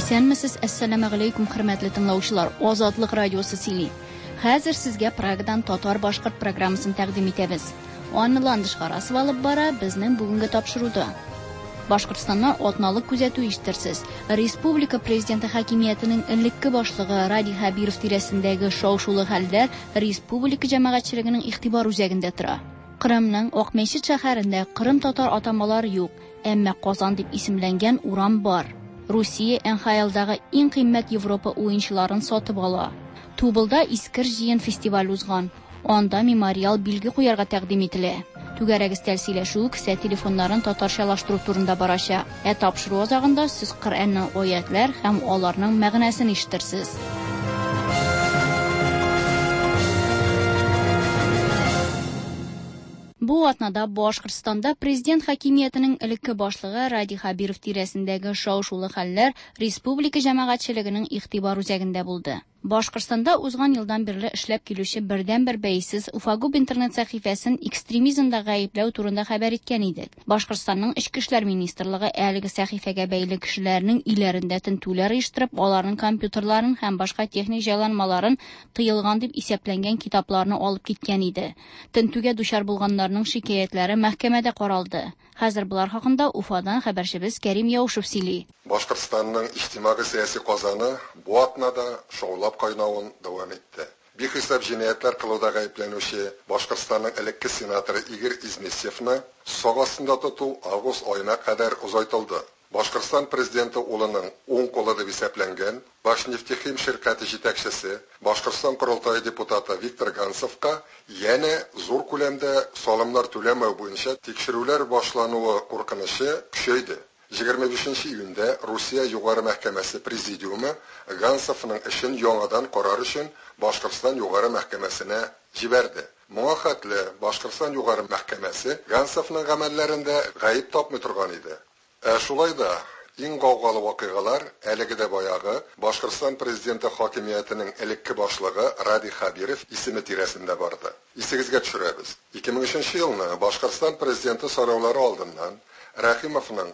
Исәнмесез, әссәламәгаләйкүм, хөрмәтле тыңлаучылар. Азатлык радиосы сөйли. Хәзер сезгә Прагадан татар-башкорт программасын тәкъдим итәбез. Аны Ландыш Гарасова алып бара безнең бүгенге тапшыруда. Башкортстаннан атналык күзәтү ишетерсез. Республика президенты хакимиятенең элекке башлыгы Радий Хәбиров тирәсендәге шау-шулы хәлләр республика җәмәгатьчелегенең игътибар үзәгендә тора. Кырымның Акмәчет шәһәрендә Кырым татар атамалары юк, әмма Казан дип исемләнгән урам бар. Русия НХЛдагы иң кыйммәт Европа уенчыларын сатып ала. Тубылда Искер җыен фестиваль узган. Анда мемориал билге куярга тәкъдим ителә. Түгәрәк өстәл сөйләшүе кесә телефоннарын татарчалаштыру турында барачак. Ә тапшыру азагында сез Коръәннән аятлар һәм аларның мәгънәсен ишетерсез. Бу атнада Башкортстанда президент хакимиятенең элекке башлыгы Радий Хәбиров тирәсендәге шау-шулы хәлләр республика җәмәгатьчелегенең игътибар үзәгендә булды. Башкортстанда узган елдан бирле эшләп килүче бердәнбер бәйсез Уфагуб интернет сәхифәсен экстремизмда гаепләү турында хәбәр иткән идек. Башкортстанның Эчке эшләр министрлыгы әлеге сәхифәгә бәйле кешеләрнең өйләрендә тентүләр оештырып, аларның компьютерларын һәм башка техник җайланмаларын тыелган дип исәпләнгән китапларны алып киткән иде. Тентүгә дучар булганнарның шикаятьләре мәхкәмәдә каралды. Хәзер болар хакында Уфадан хәбәрчебез Кәрим Яушев сөйли. Башкортстанның иҗтимагый-сәяси казаны бу атнада шаулап кайнавын дәвам итте. Бихисап җинаятьләр кылуда гаепләнүче Башкортстанның элекке сенаторы Игорь Изместьевны сак астында тоту август аена кадәр озайтылды. Башкортстан президенты улының уң кулы дип исәпләнгән Башнефтехим ширкате җитәкчесе, Башкортстан Корылтае депутаты Виктор Ганцевка янә зур күләмдә салымнар түләмәү буенча тикшерүләр башлануы куркынычы көчәйде. 25 июньдә Русия Югары мәхкәмәсе президиумы Ганцевның эшен яңадан карар өчен Башкортстан Югары мәхкәмәсенә җибәрде. Моңа хәтле Башкортстан Югары мәхкәмәсе Ганцевның гамәлләрендә гаеп тапмый торган иде. Ә шулай да иң гаугалы вакыйгалар әлеге дә баягы Башкортстан президенты хакимиятенең элекке башлыгы Радий Хәбиров исеме тирәсендә барды. Исегезгә төшерәбез. 2003 елны Башкортстан президенты сайлаулары алдыннан Рәхимовның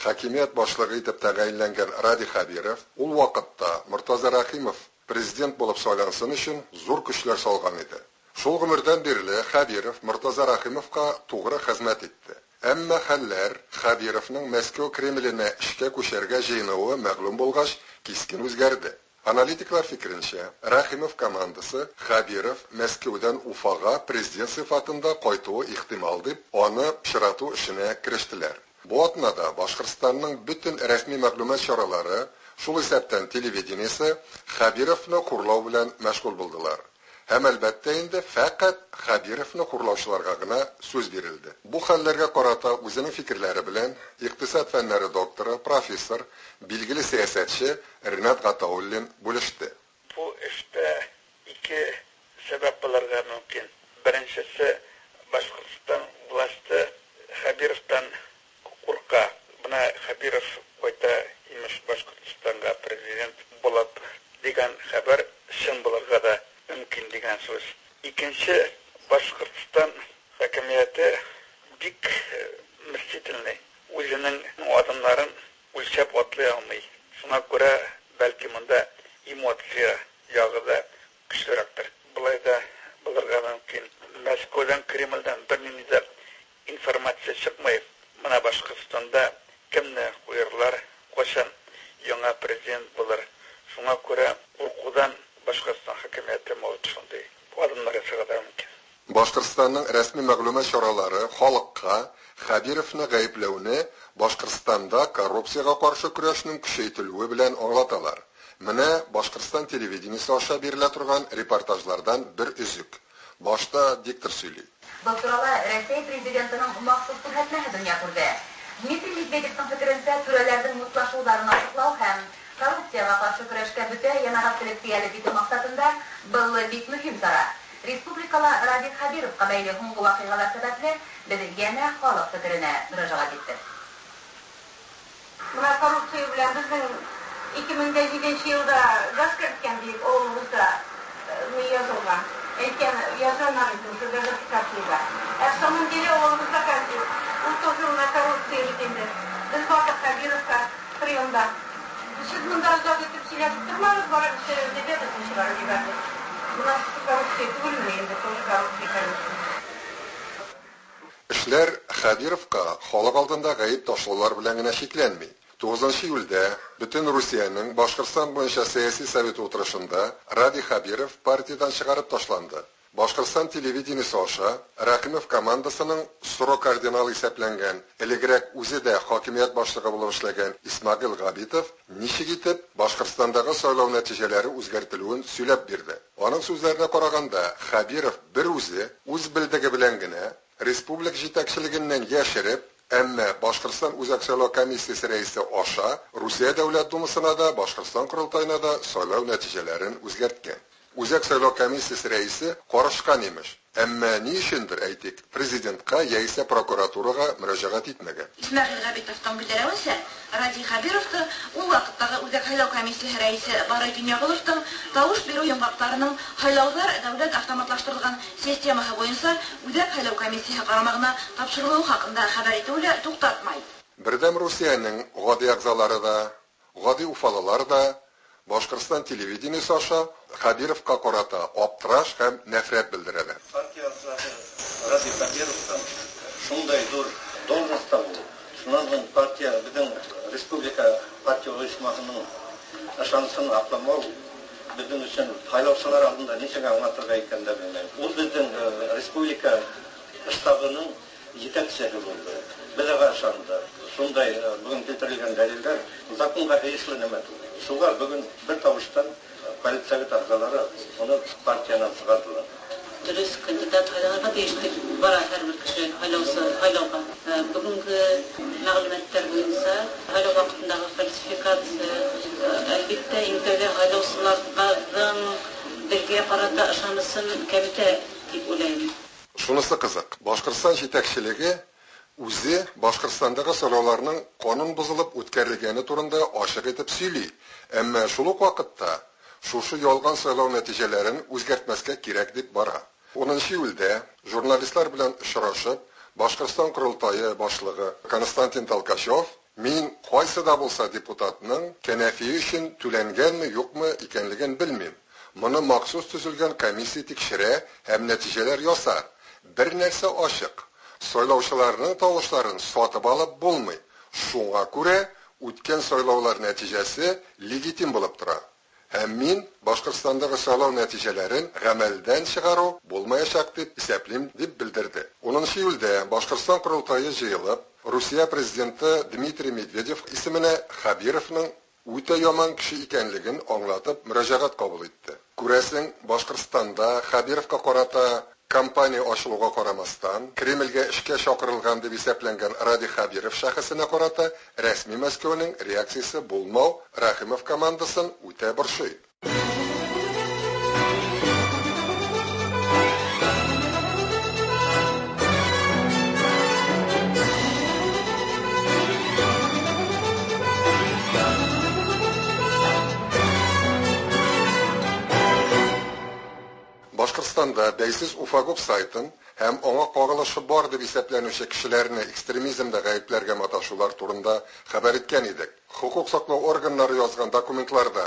хакимият башлыгы итеп тәгаенләнгән Радий Хәбиров ул вакытта Мортаза Рәхимов президент булып сайлансын өчен зур көчләр салган иде. Шул гомердән бирле Хәбиров Мортаза Рәхимовка тугры хезмәт итте. Әмма хәлләр Хәбировның Мәскәү Кремленә эшкә күчәргә җыенуы мәгълүм булгач кискен үзгәрде. Аналитиклар фикеренчә, Рәхимов командасы Хәбиров Мәскәүдән Уфага президент сыйфатында кайтуы ихтимал дип, аны пычрату эшенә керештеләр. Бу атнада Башкортстанның бөтен рәсми мәгълүмат чаралары, шул исәптән телевидениесе, Хәбировны хурлау белән мәшгуль булдылар. Һәм әлбәттә инде фәкать Хәбировны хурлаучыларга гына сүз бирелде. Бу хәлләргә карата үзенең фикерләре белән икътисад фәннәре докторы, профессор, билгеле сәясәтче Ринат Гатауллин бүлеште. Бу эштә ике сәбәп булырга мөмкин. Беренчесе, Башкортстан власте Хәбировтан курка. Менә Хәбиров кайта имеш Башкортстанга президент булып дигән хәбәр чын булырга да мөмкин дигән сүз. Икенче, Башкортстан хакимияте бик мстительный. Үзенең адымнарын үлчәп атлый алмый. Шуңа күрә бәлки монда эмоция ягы да көчлерәктер. Болай да булырга мөмкин. Мәскәүдән, Кремльдән бернинди дә информация чыкмый. Менә Башкортстанда кемне куярлар, кайчан яңа президент булыр. Шуңа күрә куркудан Башкортстан хакимияте может шундый адымнар ясарга да мөмкин. Башкортстанның рәсми мәгълүмат чаралары халыкка Хәбировны гаепләүне Башкортстанда коррупциягә каршы көрәшнең көчәйтелүе белән аңлаталар. Менә Башкортстан телевидениесе аша бирелә торган репортажлардан бер өзек. Башта диктор сөйли. Был турала Рәсәй президентының махсус күрһәтмәһе дөнья күрҙе. Дмитрий Медведевтың фекеренсә, түрәләрҙең мутлашыуҙарын асыҡлау һәм коррупцияға ҡаршы көрәшкә бөтә йәмәғәтселекте йәлеп итеү маҡсатында был бик мөһим сара. Республикала Радий Хәбировҡа бәйле һуңғы ваҡиғалар сәбәпле беҙ йәнә халыҡ фекеренә мөрәжәғәт иттек. Бына коррупция белән беҙҙең 2007 йылда газ керткән тип ауылыбыҙҙа ни яҙылған. Әйткән язганнар иде шул газификацияда. Ә в самом деле ауылыбыҙҙа ул тоже на коррупция бит инде. Беҙ бардыҡ Хәбировҡа приемда. Сез монда озак итеп сөйләшеп тормагыз, барып эшләгез, диде, безне чыгарып җибәрде. Менә шушы коррупция түгелме инде, тоже коррупция, конечно. Эшләр Хәбировка халык алдында гаеп ташлаулар белән генә чикләнми. 9 июльдә бөтен Русиянең Башкортстан буенча сәяси советы утырышында Радий Хәбиров партиядән чыгарып ташланды. Башкортстан телевидениесе аша Рәхимов командасының соры кардинал исәпләнгән, элегрәк үзе дә хакимият башлыгы булып эшләгән Исмагил Габитов ничек итеп Башкортстандагы сайлау нәтиҗәләре үзгәртелүен сөйләп бирде. Аның сүзләренә караганда, Хәбиров бер үзе үз белдеге белән генә республика җитәкчелегеннән яшереп, әмма Башкортстан Үзәк сайлау комиссиясе рәисе аша Русия Дәүләт Думасына да, Башкортстан Корылтаена да сайлау нәтиҗәләрен үзгәрткән. Үзәк сайлау комиссиясе рәисе карышкан имеш. Әмма ни өчендер, әйтик, президентка яисә прокуратурага мөрәҗәгать итмәгән. Исмәгыйль Габитовтың белдерүенчә, Радий Хәбировты ул вакыттагы Үзәк сайлау комиссиясе рәисе Барый Дөньягуловтың тавыш бирү йомгакларының һайлаулар дәүләт автоматлаштырылган системасы буенча Үзәк сайлау комиссиясе карамагына тапшырылуы хакында хәбәр итүе лә туктатмай. Бердәм Русиянең гади әгъзалары да, гади уфалылар да Башкортстан телевидениесе аша Хәбировка карата аптыраш һәм нәфрәт белдерәләр. Партия әгъзасы Радий Хәбировтан шундай зур должностьта булу. Шуннан соң партия безнең республика партия оешмасының ышанысын акламау безнең өчен һайлаучылар алдында ничек аңлатырга икәнен дә белмәйм. Ул безнең республика штабының җитәкчесе булды. Без аңа ышандык. Шундай бүген китерелгән дәлилләр законга тиешле нәмә түгел. Шуңа бүген бер тавыштан политсовет әгъзалары уны партиянан чыгардылар. Дөрес кандидат һайланырга тиеш дип бара һәрбер кеше һайлаусы һайлауга. Бүгенге мәгълүматлар буенча һайлау вакытындагы фальсификация, әлбәттә, иң тәүдә һайлаучыларның бергә карата ышанысын кәметә дип уйлыйм. Шунысы кызык, Башкортстан җитәкчелеге үзе Башкортстандагы сайлауларның канун бозылып үткәрелгәне турында ачык итеп сөйли. Әмма шул ук вакытта шушы ялган сайлау нәтиҗәләрен үзгәртмәскә кирәк дип бара. 10 июльдә журналистлар белән очрашып, Башкортстан Корылтае башлыгы Константин Толкачев мин кайсы да булса депутатның кәнәфие өчен түләнгәнме, юкмы икәнлеген белмим. Моны махсус төзелгән комиссия тикшерә һәм нәтиҗәләр ясар. Бер нәрсә ачык. Сайлаучыларның тавышларын сатып алып булмый. Шуңа күрә үткән сайлаулар нәтиҗәсе легитим булып тора. Һәм мин Башкортстандагы сайлау нәтиҗәләрен гамәлдән чыгару булмаячак дип исәплим, дип белдерде. 10 июльдә Башкортстан Корылтае җыелып, Русия президенты Дмитрий Медведев исеменә Хәбировның үтә яман кеше икәнлеген аңлатып мөрәҗәгать кабул итте. Күрәсең, Башкортстанда Хәбировка карата кампания ачылуга карамастан, Кремльгә эшкә чакырылган дип исәпләнгән Радий Хәбиров шәхесенә карата рәсми Мәскәүнең реакциясе булмау Рәхимов командасын үтә борчый. Башкортстанда бәйсез Уфагоп сайтын һәм аңа кагылышы бар дип исәпләнүче кешеләрне экстремизмда гаепләргә маташулар турында хәбәр иткән идек. Хукук саклау органнары язган документларда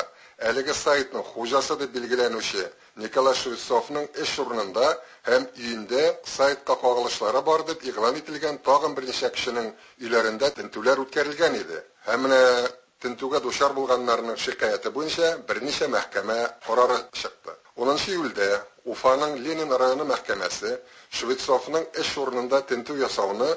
әлеге сайтның хуҗасы дип билгеләнүче Николай Швецовның эш урынында һәм өендә сайтка кагылышлары бар дип игълан ителгән тагын берничә кешенең өйләрендә тентүләр үткәрелгән иде. Һәм менә тентүгә дучар булганнарның шикаяте буенча берничә мәхкәмә карары чыкты. 10 июльдә Уфаның Ленин районы мәхкәмәсе Швецовның эш урынында тентү ясауны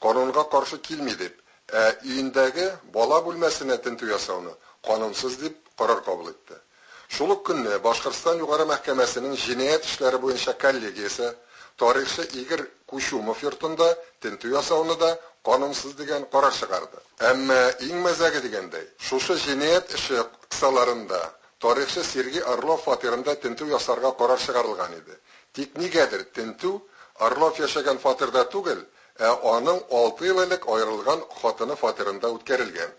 канунга каршы килми дип, ә өендәге бала бүлмәсенә тентү ясауны канунсыз дип карар кабул итте. Шул ук көнне Башкортстан Югары мәхкәмәсенең җинаять эшләре буенча коллегиясе тарихчы Игорь Кучумов йортында тентү ясауны да канунсыз дигән карар чыгарды. Әмма иң мәзәге дигәндәй, шушы җинаять эше кысаларында тарихчы Сергей Орлов фатирында тентү ясарга карар чыгарылган иде. Тик нигәдер тентү Орлов яшәгән фатирда түгел, ә аның 6 ел элек аерылган хатыны фатирында үткәрелгән.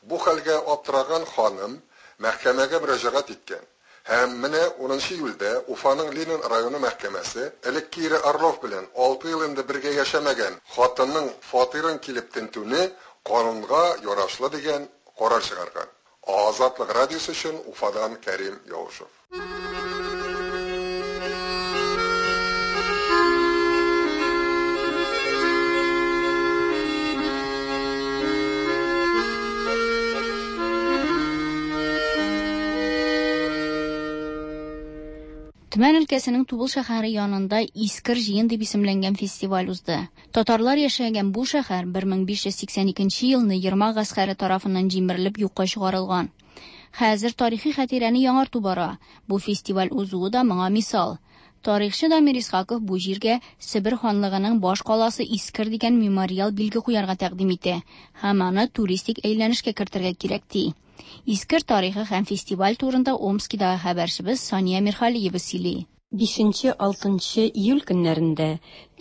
Бу хәлгә аптыраган ханым мәхкәмәгә мөрәҗәгать иткән. Һәм менә 10 июльдә Уфаның Ленин районы мәхкәмәсе элекке ире Орлов белән 6 ел инде бергә яшәмәгән хатынның фатирын килеп тентүне канунга ярашлы дигән карар чыгарган. Азатлык радиосы өчен Уфадан Кәрим Яушев. Төмән өлкәсенең Тубыл шәһәре янында Искер җыен дип исемләнгән фестиваль узды. Татарлар яшәгән бу шәһәр 1582 елны Ермак гаскәре тарафыннан җимерелеп юкка чыгарылган. Хәзер тарихи хатирәне яңарту бара. Бу фестиваль узуы да моңа мисал. Тарихчы Дамир Исхаков бу җиргә Себер ханлыгының баш каласы Искер дигән мемориал билге куярга тәкъдим итә һәм аны туристик әйләнешкә кертергә кирәк ди. Искер тарихы һәм фестиваль турында Омскидагы хәбәрчебез Сания Мирхалиева сөйли. 5-6 июль көннәрендә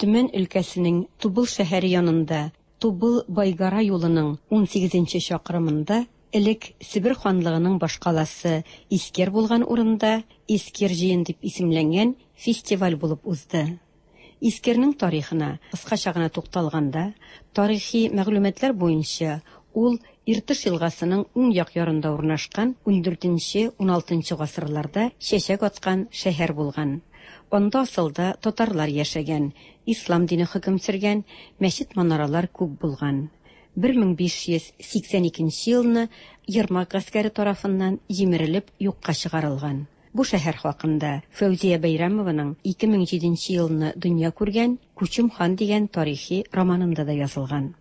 Төмән өлкәсенең Тубыл шәһәре янында Тубыл-Байгара юлының 18 чакрымында элек Себер ханлыгының башкаласы Искер булган урында Искер җыен дип исемләнгән фестиваль булып узды. Искернең тарихына кыскача гына тукталганда, тарихи мәгълүматлар буенча ул Иртыш елгасының уң як ярында урнашкан 14-16 гасырларда чәчәк аткан шәһәр булган. Анда асылда татарлар яшәгән, ислам дине хөкем сөргән, мәчет-манаралар күп булган. 1582 елны Ермак гаскәре тарафыннан җимерелеп юкка чыгарылган. Бу шәһәр хакында Фәүзия Бәйрәмованың 2007 елны дөнья күргән Күчем хан дигән тарихи романында да язылган.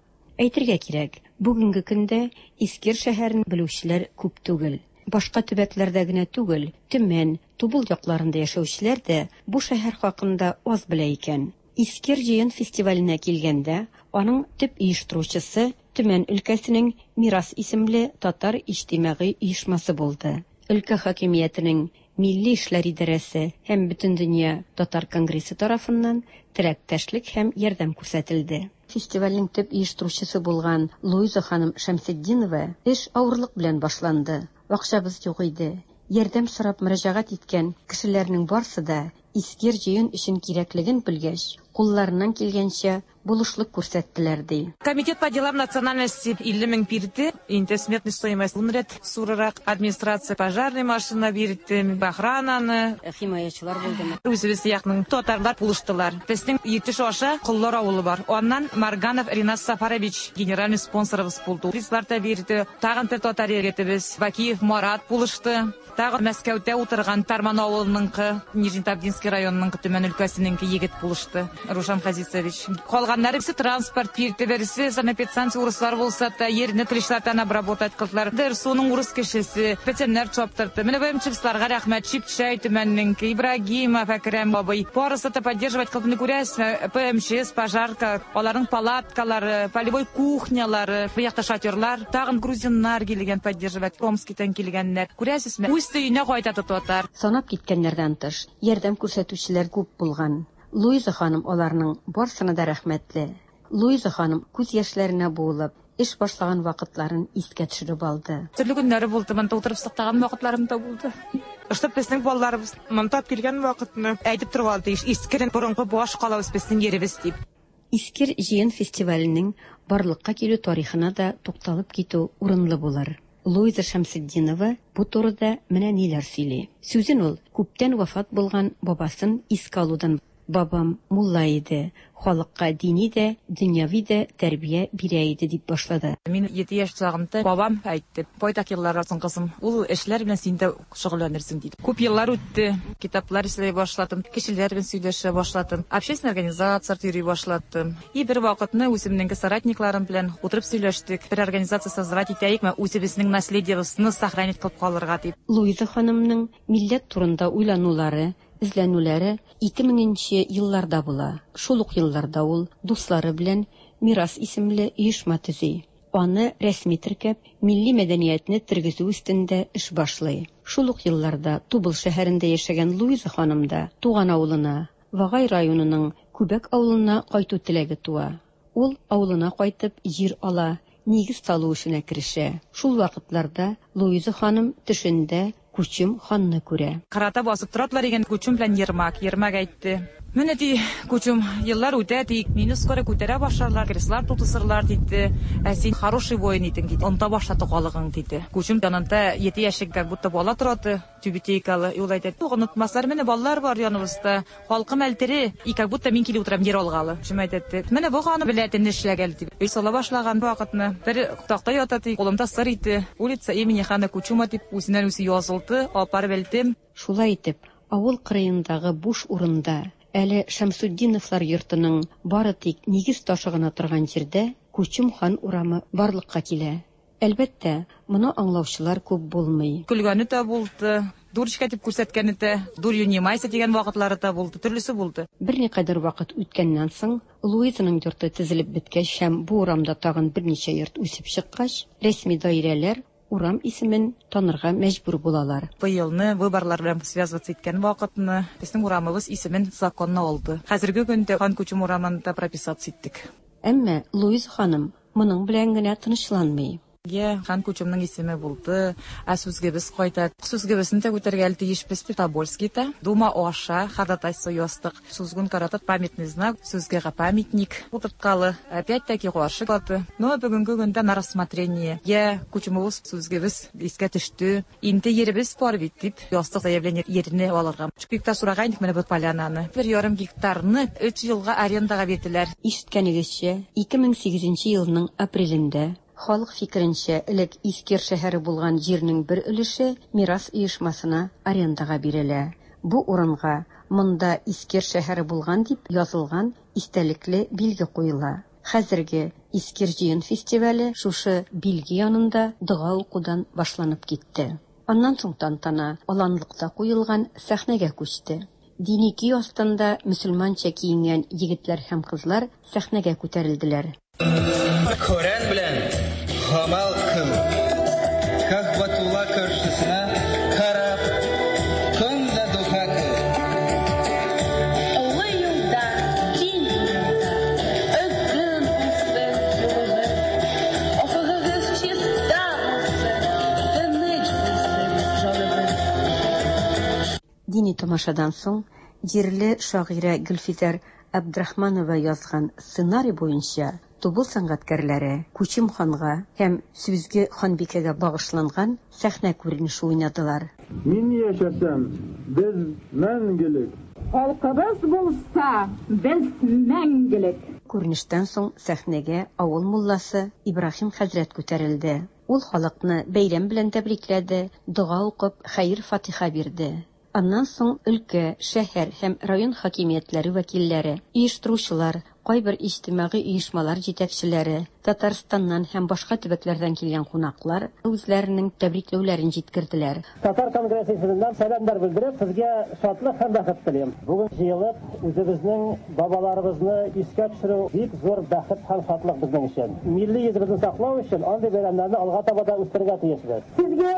Әйтергә кирәк, бүгенге көндә Искер шәһәрен белүчеләр күп түгел. Башка төбәкләрдә генә түгел, Төмән, Тубыл якларында яшәүчеләр дә бу шәһәр хакында аз белә икән. Искер җыен фестиваленә килгәндә, аның төп оештыручысы Төмән өлкәсенең Мирас исемле татар иҗтимагый оешмасы булды. Өлкә хакимиятенең Милли эшләр идарәсе һәм Бөтендөнья татар конгрессы тарафыннан теләктәшлек һәм ярдәм күрсәтелде. Фестивальнең төп оештыручысы булган Луиза ханым Шәмсетдинова эш авырлык белән башланды. Акчабыз юк иде. Ярдәм сорап мөрәҗәгать иткән кешеләрнең барсы да Искер җыен өчен кирәклеген белгәч, кулларыннан килгәнчә булышлык күрсәттеләр ди. Комитет по делам национальности 50 мең бирде. Инде сметный стоимость ун рәт зурырак. Администрация пожарный машина бирде, охрананы. Химаячылар булдымы? Үзебез якның татарлар булыштылар. Безнең Иртеш аша Коллар авылы бар. Аннан Марганов Ринас Сафарович генеральный спонсорыбыз булды. Призлар да бирде. Тагын бер татар егетебез Бакиев Марат булышты. Тагын Мәскәүдә утырган Тарман авылыныңкы, Нижнетавдинский районының Төмән өлкәсенеңке егет булышты. Рушан Хазисович. Калганнары берсе транспорт бирде, берсе санэпидстанция урыслар булса да, ерне тришлатан обработать кылдылар. Дерсуның урыс кешесе, печәннәр чаптырды. Менә БМЧларга рәхмәт, Чипчәй Төмәннеңке, Ибрагимов Әкрәм абый. Барысы да поддерживать кылып күрәсезме? ПМЧС, пожарка, аларның палаткалары, полевой кухнялары, бу якта шатерлар, тагын грузиннар килгән поддерживать, Омскидан килгәннәр. Күрәсезме? Үз өенә кайта татар. Санап киткәннәрдән тыш, ярдәм күрсәтүчеләр күп булган. Луиза ханым аларның барсына да рәхмәтле. Луиза ханым күз яшьләренә буылып, эш башлаган вакытларын искә төшереп алды. Төрле көннәре булды, монда утырып сыктаган вакытларым да булды. Ыштып безнең балаларыбыз монда килгән вакытны әйтеп торган тиеш, Искерен борынгы баш калабыз безнең еребез дип. Искер җыен фестиваленең барлыкка килү тарихына да тукталып китү урынлы булыр. Луиза Шәмсетдинова бу турыда менә ниләр сөйли. Сүзен ул күптән вафат булган бабасын искә алудан. Бабам мулла иде, халыкка дини дә, дөньяви дә тәрбия бирә иде дип башлады. Мин 7 яшь чагымда бабам әйтте, байтак еллар соң кызым, ул эшләр белән син дә шөгыльләнерсең диде. Күп еллар үтте, китаплар эшләй башладым, кешеләр белән сөйләшә башладым, общественный организацияләр йөри башладым. И бер вакытны үземнең соратникларым белән утырып сөйләштек, бер организация создавать итәекме, үзебезнең наследиебезне сохранить кылып калырга дип. Луиза ханымның милләт турында уйланулары, эзләнүләре 2000 елларда була. Шул ук елларда ул дуслары белән Мирас исемле оешма төзи. Аны рәсми теркәп, милли мәдәниятне тергезү өстендә эш башлый. Шул ук елларда Тубыл шәһәрендә яшәгән Луиза ханым да туган авылына, Вагай районының Күбәк авылына кайту теләге туа. Ул авылына кайтып җир ала, нигез салу эшенә керешә. Шул вакытларда Луиза ханым төшендә Күчем ханны күрә. Карата басып торадылар икән Күчем белән Ермак. Ермак әйтте: "Менә ди, Күчем, еллар үтә ди, мине скоро күтәрә башларлар, креслар тутысырлар диде. Ә син хороший воин идең диде. Оныта башлады халыгың диде. Күчем янында 7 яшьлек как будто бала торады, тюбетейкалы. И ул әйтә: "Юк, онытмаслар, менә балалар бар яныбызда. Халкым әле тере". И как будто мин килеп утырам ер алгалы. Күчем әйтә: "Менә бу аны белә нишләгән дип. Өй сала башлаган вакытны бер такта ята ди, кулымда сыр иде. Улица имени хана Кучума дип үзеннән үзе язылды, алып барып элдем. Шулай итеп, авыл кырыендагы буш урында, әле Шәмсутдиновлар йортының бары тик нигез ташы гына торган җирдә Күчем хан урамы барлыкка килә. Әлбәттә, моны аңлаучылар күп булмый. Көлгәне дә булды, дурочка дип күрсәткәне дә, дурью не майся дигән вакытлары да булды, төрлесе булды. Берникадәр вакыт үткәннән соң, Луизаның йорты төзелеп беткәч һәм бу урамда тагын берничә йорт үсеп чыккач, рәсми даирәләр урам исемен танырга мәҗбүр булалар. Быелны выборлар белән связываться иткән вакытны безнең урамыбыз исемен законно алды. Хәзерге көндә Хан Күчем урамында прописаться иттек. Әмма Луиза ханым моның белән генә тынычланмый. Е, Хан Күчемнең исеме булды, ә сүзгебез кайта. Сүзгебезне дә күтәргә тиешбез Тобольскийда. Дума аша ходатайство яздык. Сүзгүн карата памятный знак, сүзгегә памятник утырткалы. Опять-таки каршы калды. Но бүгенге көндә на рассмотрение. Е, Күчемебез сүзгебез искә төште. Инде еребез бар бит дип яздык заявление ерне алырга. 3 гектар сораган идек менә бу полянаны. 1,5 гектарны 3 елга арендага бирделәр. Ишеткәнегезчә, 2008 елның апрелендә халык фикеренчә, элек Искер шәһәре булган җирнең бер өлеше Мирас оешмасына арендага бирелә. Бу урынга монда Искер шәһәре булган дип язылган истәлекле билге куела. Хәзерге Искер җыен фестивале шушы билге янында дога укудан башланып китте. Аннан соң тантана аланлыкта куелган сәхнәгә күчте. Дини көй астында мөселманча киенгән егетләр һәм кызлар сәхнәгә күтәрелделәр. Коръән белән гамәл кыл. Кәгъбәтулла каршысына карап, көн дә дога кыл. Олы юлда, киң юлда, озын булсын юлыгыз. Офыгыгыз чиста булсын, тыныч булсын җаныгыз. Дини тамашадан соң җирле шагыйрә Гөлфизәр Абдрахманова язган сценарий буенча Тубыл сәнгатькәрләре Күчем ханга һәм Сүзге ханбикәгә багышланган сәхнә күренеше уйнадылар. Мин яшәсәм, без мәңгелек. Халкыбыз булса, без мәңгелек. Күренештән соң сәхнәгә авыл мулласы Ибраһим хәзрәт күтәрелде. Ул халыкны бәйрәм белән тәбрикләде, дога укып, хәер-фатиха бирде. Аннан соң өлкә, шәһәр һәм район хакимиятләре вәкилләре, оештыручылар, кайбер иҗтимагый оешмалар җитәкчеләре, Татарстаннан һәм башка төбәкләрдән килгән кунаклар үзләренең тәбрикләүләрен җиткерделәр. Татар конгрессы исеменнән сәламнәр белдереп, сезгә шатлык һәм бәхет телим. Бүген җыелып, үзебезнең бабаларыбызны искә төшерү бик зур бәхет һәм шатлык безнең өчен. Милли йөзебезне саклау өчен андый бәйрәмнәрне алга таба да үстерергә тиешбез. Сезгә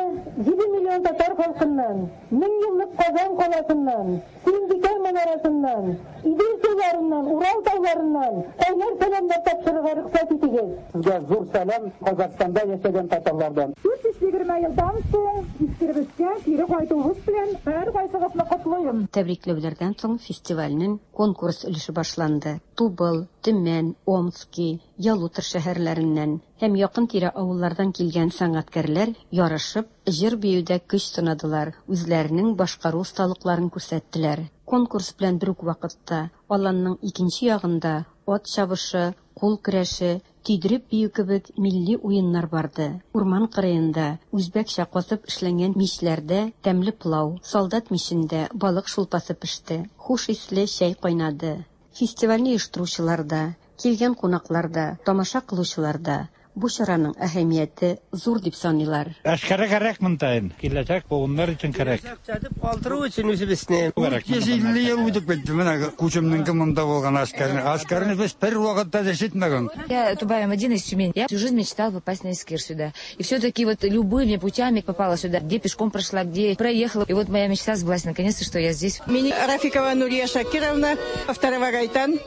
7 миллион татар халкыннан, 1000 еллык Казан каласыннан, Сөембикә манарасыннан, Идел суларыннан, Урал тауларыннан кайнар сәламнәр тапшырырга рөхсәт итегез. Сезгә зур сәлам Казахстанда яшәгән татарлардан. 420 елдан соң Искеребезгә кире кайтуыбыз белән һәркайсыгызны котлыйм. Тәбрикләүләрдән соң фестивальнең конкурс өлеше башланды. Тубыл, Төмән, Омски, Ялутор шәһәрләреннән һәм якын-тирә авыллардан килгән сәнгатькәрләр ярышып, җыр-биюдә көч сынадылар, үзләренең башкару осталыкларын күрсәттеләр. Конкурс белән бер үк вакытта аланның икенче ягында ат чабышы, кул көрәше, төйдереп бию кебек милли уеннар барды. Урман кырыенда үзбәкчә казып эшләнгән мичләрдә тәмле пылау, солдат мичендә балык шулпасы пеште, хуш исле чәй кайнады. Фестивальне оештыручылар да, килгән кунаклар да, тамаша кылучылар да бу чараның әһәмияте зур дип саныйлар. Әшкәрә кәрәк монда инде. Киләчәк буыннар өчен кәрәк. Сатып калдыру өчен үзебезне. 150 ел үтеп китте. Менә Күчемнең монда булган әшкәрне. Әшкәрне без бер вакытта да ишетмәгән. Я Тубаева Мадина из Тюмени. Я всю жизнь мечтала попасть на Искер сюда. И все-таки вот любыми путями попала сюда. Где пешком прошла, где проехала. И вот моя мечта сбылась наконец-то, что я здесь. Мин Рафикова Нурия Шакировна, Второго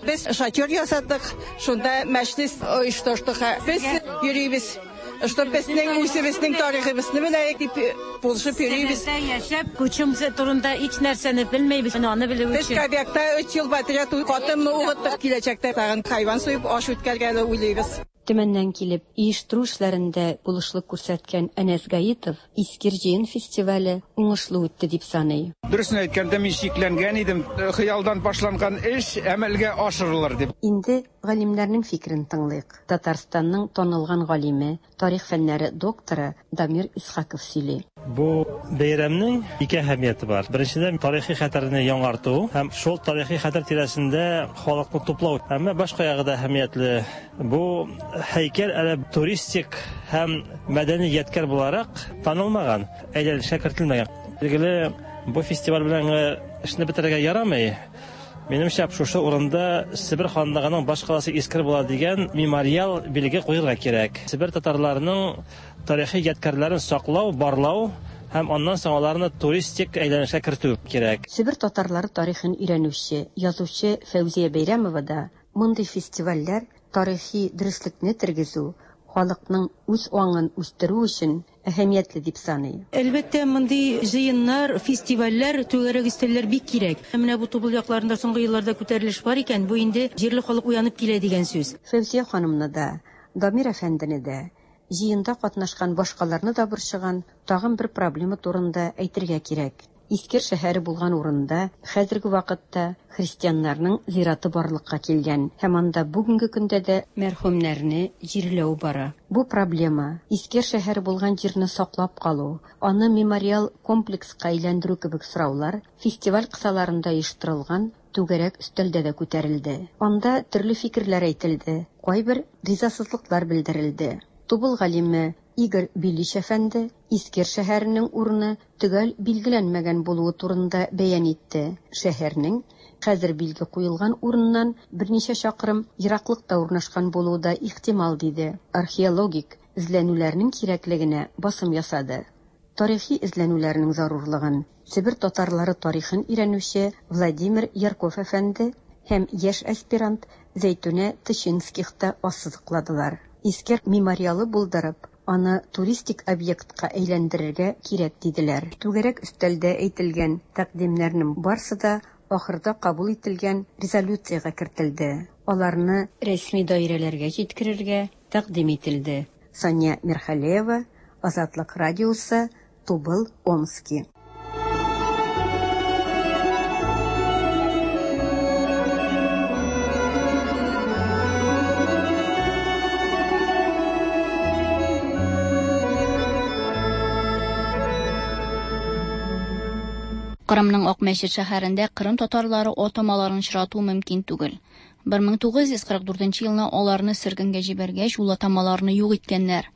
Без шатер ясадык, шунда мәҗлес оештырдык. Без йөрибез. Что безнең үзебезнең тарихыбызны беләйек дип булышып йөрибез. Себердә яшәп, Күчем турында һич нәрсәне белмәйбез. Аны белү Без өчен. Кобякта 3 ел подряд катын укыттык. Киләчәктә тагын хайван суеп аш үткәргәне уйлыйбыз. Төмәннән килеп, оештыру эшләрендә булышлык күрсәткән Әнәс Гаитов Искер җыен фестивале уңышлы үтте дип саный. Дөресен әйткәндә, мин шикләнгән идем, хыялдан башланган эш әмәлгә ашырылыр дип. Инде галимнәрнең фикерен тыңлыйк. Татарстанның танылган галиме, тарих фәннәре докторы Дамир Исхаков сөйли. Бу бәйрәмнең ике әһәмияте бар. Беренчедән, тарихи хәтерне яңарту һәм шул тарихи хәтер тирәсендә халыкны туплау. Әмма башка ягы да әһәмиятле. Бу һәйкәл әле туристик һәм мәдәни ядкәр буларак танылмаган, әйләнешкә кертелмәгән. Билгеле, бу фестиваль белән эшне бетерергә ярамый. Минемчә, шушы урында Себер ханлыгының баш каласы Искер була дигән мемориал билге куярга кирәк. Себер татарларының тарихи ядкәрләрен саклау, барлау һәм аннан соң аларны туристик әйләнешкә кертү кирәк. Себер татарлары тарихын өйрәнүче, язучы Фәүзия Бәйрәмова да мондый фестивальләр тарихи дөреслекне тергезү, халыкның үз аңын үстерү өчен әһәмиятле дип саный. Әлбәттә, мондый җыеннар, фестивальләр, түгәрәк өстәлләр бик кирәк. Менә бу Тубыл якларында соңгы елларда күтәрелеш бар икән, бу инде җирле халык уянып килә дигән сүз. Фәүзия ханымны да, Дамир әфәндене дә, җыенда катнашкан башкаларны да борчыган тагын бер проблема турында әйтергә кирәк. Искер шәһәре булган урында хәзерге вакытта христианнарның зираты барлыкка килгән һәм анда бүгенге көндә дә мәрхүмнәрне җирләү бара. Бу проблема Искер шәһәре булган җирне саклап калу, аны мемориал комплекска әйләндерү кебек сораулар фестиваль кысаларында оештырылган түгәрәк өстәлдә дә күтәрелде. Анда төрле фикерләр әйтелде, кайбер ризасызлыклар белдерелде. Тубыл галиме Игорь Белич әфәнде Искер шәһәренең урыны төгәл билгеләнмәгән булуы турында бәян итте. Шәһәрнең хәзер билге куелган урыннан берничә чакрым ераклыкта урнашкан булуы да ихтимал диде. Археологик эзләнүләрнең кирәклегенә басым ясады. Тарихи эзләнүләрнең зарурлыгын Себер татарлары тарихын өйрәнүче Владимир Ярков әфәнде һәм яшь аспирант Зәйтүнә Тычинских та ассызыкладылар. Искер мемориалы булдырып, аны туристик объектка әйләндерергә кирәк диделәр. Түгәрәк өстәлдә әйтелгән тәкъдимнәрнең барсы да ахырда кабул ителгән резолюциягә кертелде. Аларны рәсми даирәләргә җиткерергә тәкъдим ителде. Сания Мирхалеева, Азатлык радиосы, Тубыл, Омски. Кырымның Акмәчет шәһәрендә Кырым татарлары атамаларын очрату мөмкин түгел. 1944 елны аларны сөргенгә җибәргәч, ул атамаларны юк иткәннәр.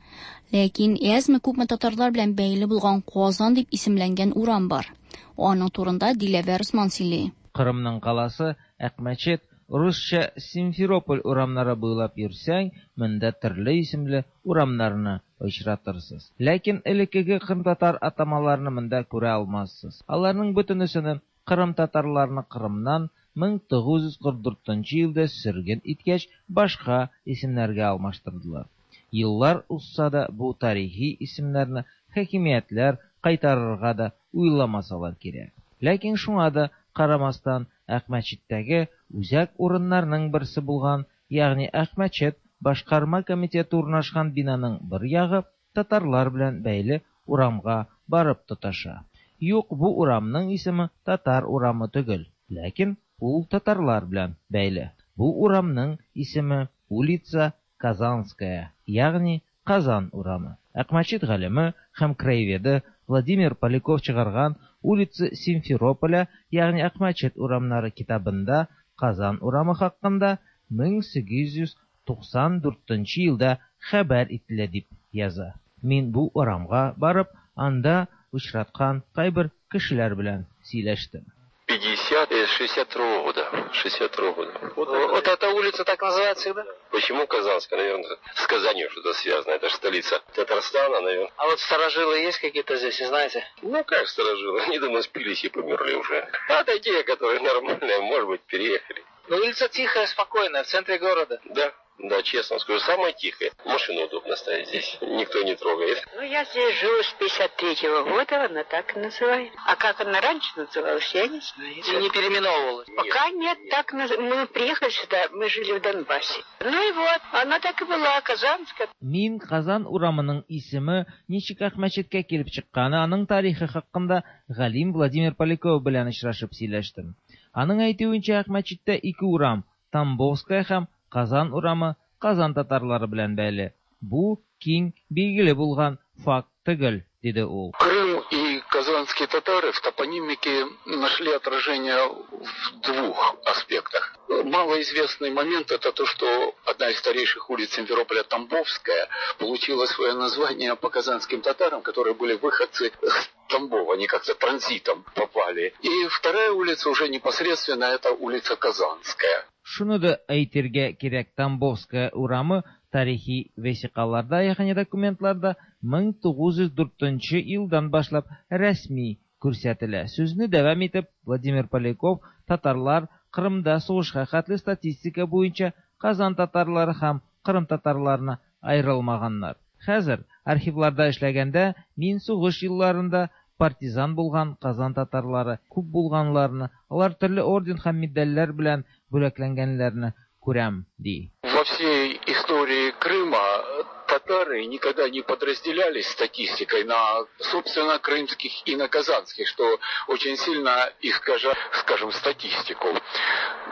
Ләкин әзме-күпме татарлар белән бәйле булган Казан дип исемләнгән урам бар. Аның турында Диләвәр Усман сөйли. Кырымның каласы Акмәчет, русча Симферополь урамнары буйлап йөрсәң, монда төрле исемле урамнарны очратырсыз. Ләкин элеккеге кырымтатар атамаларны монда күрә алмассыз. Аларның бөтенесен кырым татарларны Кырымнан 1944 елда сөрген иткәч, башка исемнәргә алмаштырдылар. Еллар узса да бу тарихи исемнәрне хакимиятләр кайтарырга да уйламасалар кирәк. Ләкин шуңа да карамастан, Акмәчеттәге үзәк урыннарның берсе булган, ягъни Акмәчет башкарма комитеты урнашкан бинаның бер ягы татарлар белән бәйле урамга барып тоташа. Юк, бу урамның исеме Татар урамы түгел, ләкин ул татарлар белән бәйле. Бу урамның исеме улица Казанская, ягъни Казан урамы. Акмәчет галиме һәм краеведы Владимир Поляков чыгарган Улица Симферополя, ягъни Акмәчет урамнары китабында Казан урамы хакында 1894 елда хәбәр ителә дип яза. Мин бу урамга барып, анда очраткан кайбер кешеләр белән сөйләштем. 50 62 года. 62 года. Вот эта улица так называется всегда? Почему Казанская? Наверное, с Казанью что-то связано. Это же столица Татарстана, наверное. А вот старожилы есть какие-то здесь, не знаете? Ну, как старожилы? Они, думаю, спились и померли уже. А такие, которые нормальные, может быть, переехали. Но улица тихая, спокойная, в центре города. Да. Да, честно скажу, самая тихая. Машину удобно ставить здесь, никто не трогает. Ну, я здесь живу с 53-го года, она так и называется. А как она раньше называлась, я не знаю. И не переименовывалась? Пока нет, так мы приехали сюда, мы жили в Донбассе. Ну и вот, она так и была, Казанская. Мин Казан урамының исеме ничек Акмәчеткә килеп чыкканы, аның тарихы хакында галим Владимир Поляков белән очрашып сөйләштем. Аның әйтүенчә, Акмәчеттә ике урам, Тамбовская һәм Казан урамы Казан татарлары белән бәйле. Бу киң билгеле булган факт түгел, диде ул. Крым и казанские татары в топонимике нашли отражение в двух аспектах. Малоизвестный момент – это то, что одна из старейших улиц Симферополя, Тамбовская, получила свое название по казанским татарам, которые были выходцы с Тамбова, они как-то транзитом попали. И вторая улица уже непосредственно – это улица Казанская. Шуны да әйтергә кирәк, Тамбовская урамы тарихи вәсикаларда, ягъни документларда 1904 елдан башлап рәсми күрсәтелә. Сүзне дәвам итеп, Владимир Поляков татарлар Кырымда сугышка хәтле статистика буенча Казан татарлары һәм Кырым татарларына аерылмаганнар. Хәзер архивларда эшләгәндә мин сугыш елларында партизан булган Казан татарлары күп булганларны, алар төрле орден һәм медальләр белән бүләкләнгәннәрне күрәм, ди. Во всей истории Крыма татары никогда не подразделялись статистикой на, собственно, крымских и на казанских, что очень сильно искажает, скажем, статистику.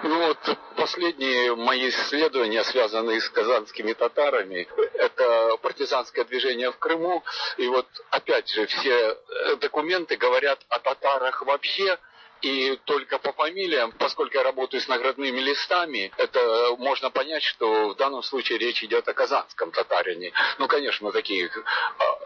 Ну вот последние мои исследования, связанные с казанскими татарами, это партизанское движение в Крыму. И вот опять же все документы говорят о татарах вообще, и только по фамилиям, поскольку я работаю с наградными листами, это можно понять, что в данном случае речь идет о казанском татарине. Ну, конечно, такие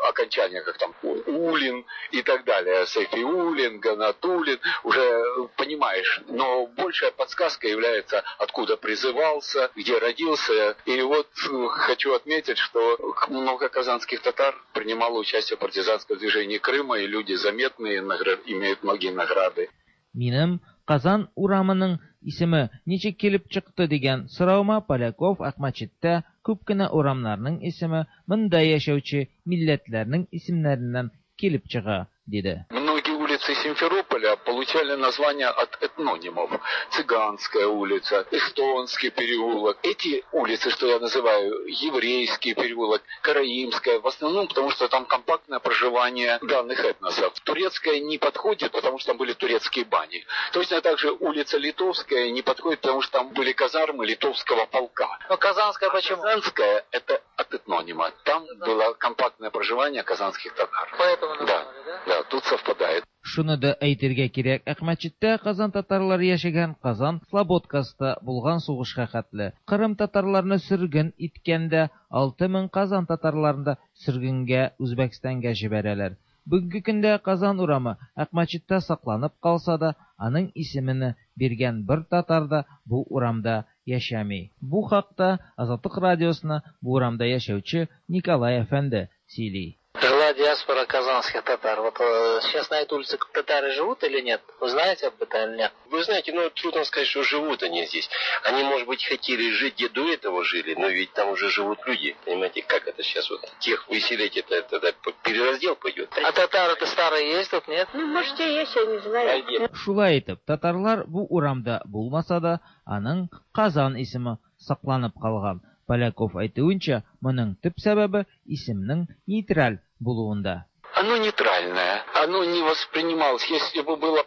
окончания, как там Улин и так далее, Сайфиулин, Ганатулин, уже понимаешь. Но большая подсказка является, откуда призывался, где родился. И вот хочу отметить, что много казанских татар принимало участие в партизанском движении Крыма, и люди заметные, имеют многие награды. Минем Казан урамының исеме ничек килеп чыкты дигән соравыма Поляков Акмәчеттә күп кенә урамнарның исеме монда яшәүче милләтләрнең исемнәреннән килеп чыга, диде. Многие улицы Симферополя получали названия от этнонимов. Цыганская улица, Эстонский переулок. Эти улицы, что я называю, Еврейский переулок, Караимская, в основном потому, что там компактное проживание данных этносов. Турецкая не подходит, потому что там были турецкие бани. Точно так же улица Литовская не подходит, потому что там были казармы литовского полка. Но Казанская почему? Казанская – это от этнонима. Там было компактное проживание казанских татар. Поэтому назвали, да? Да, тут совпадает. Шуны да әйтергә кирәк, Акмәчеттә Казан татарлары яшәгән Казан Слободкасында булган сугышка хәтле. Кырым татарларны сөрген иткәндә 6000 Казан татарларын да сөргенгә Үзбәкстанга җибәрәләр. Бүгенге көндә Казан урамы Акмәчеттә сакланып калса да, аның исемене биргән бер татар да бу урамда яшәми. Бу хакта Азатлык радиосына бу урамда яшәүче Николай әфәнде сөйли. Жила диаспора казанских татар. Вот сейчас на этой улице татары живут или нет? Вы знаете об этом или нет? Вы знаете, ну трудно сказать, что живут они здесь. Они, может быть, хотели жить, где до этого жили, но ведь там уже живут люди. Понимаете, как это сейчас вот тех выселить, это тогда перераздел пойдет. А татары-то старые есть тут, нет? Ну, может, и есть, я не знаю. Шулай итеп, татарлар бу урамда булмаса да, аның Казан исеме сакланып калган. Поляков әйтүенчә, моның төп сәбәбе исемнең нейтраль булуында. Оно нейтральное, оно не воспринималось. Если бы было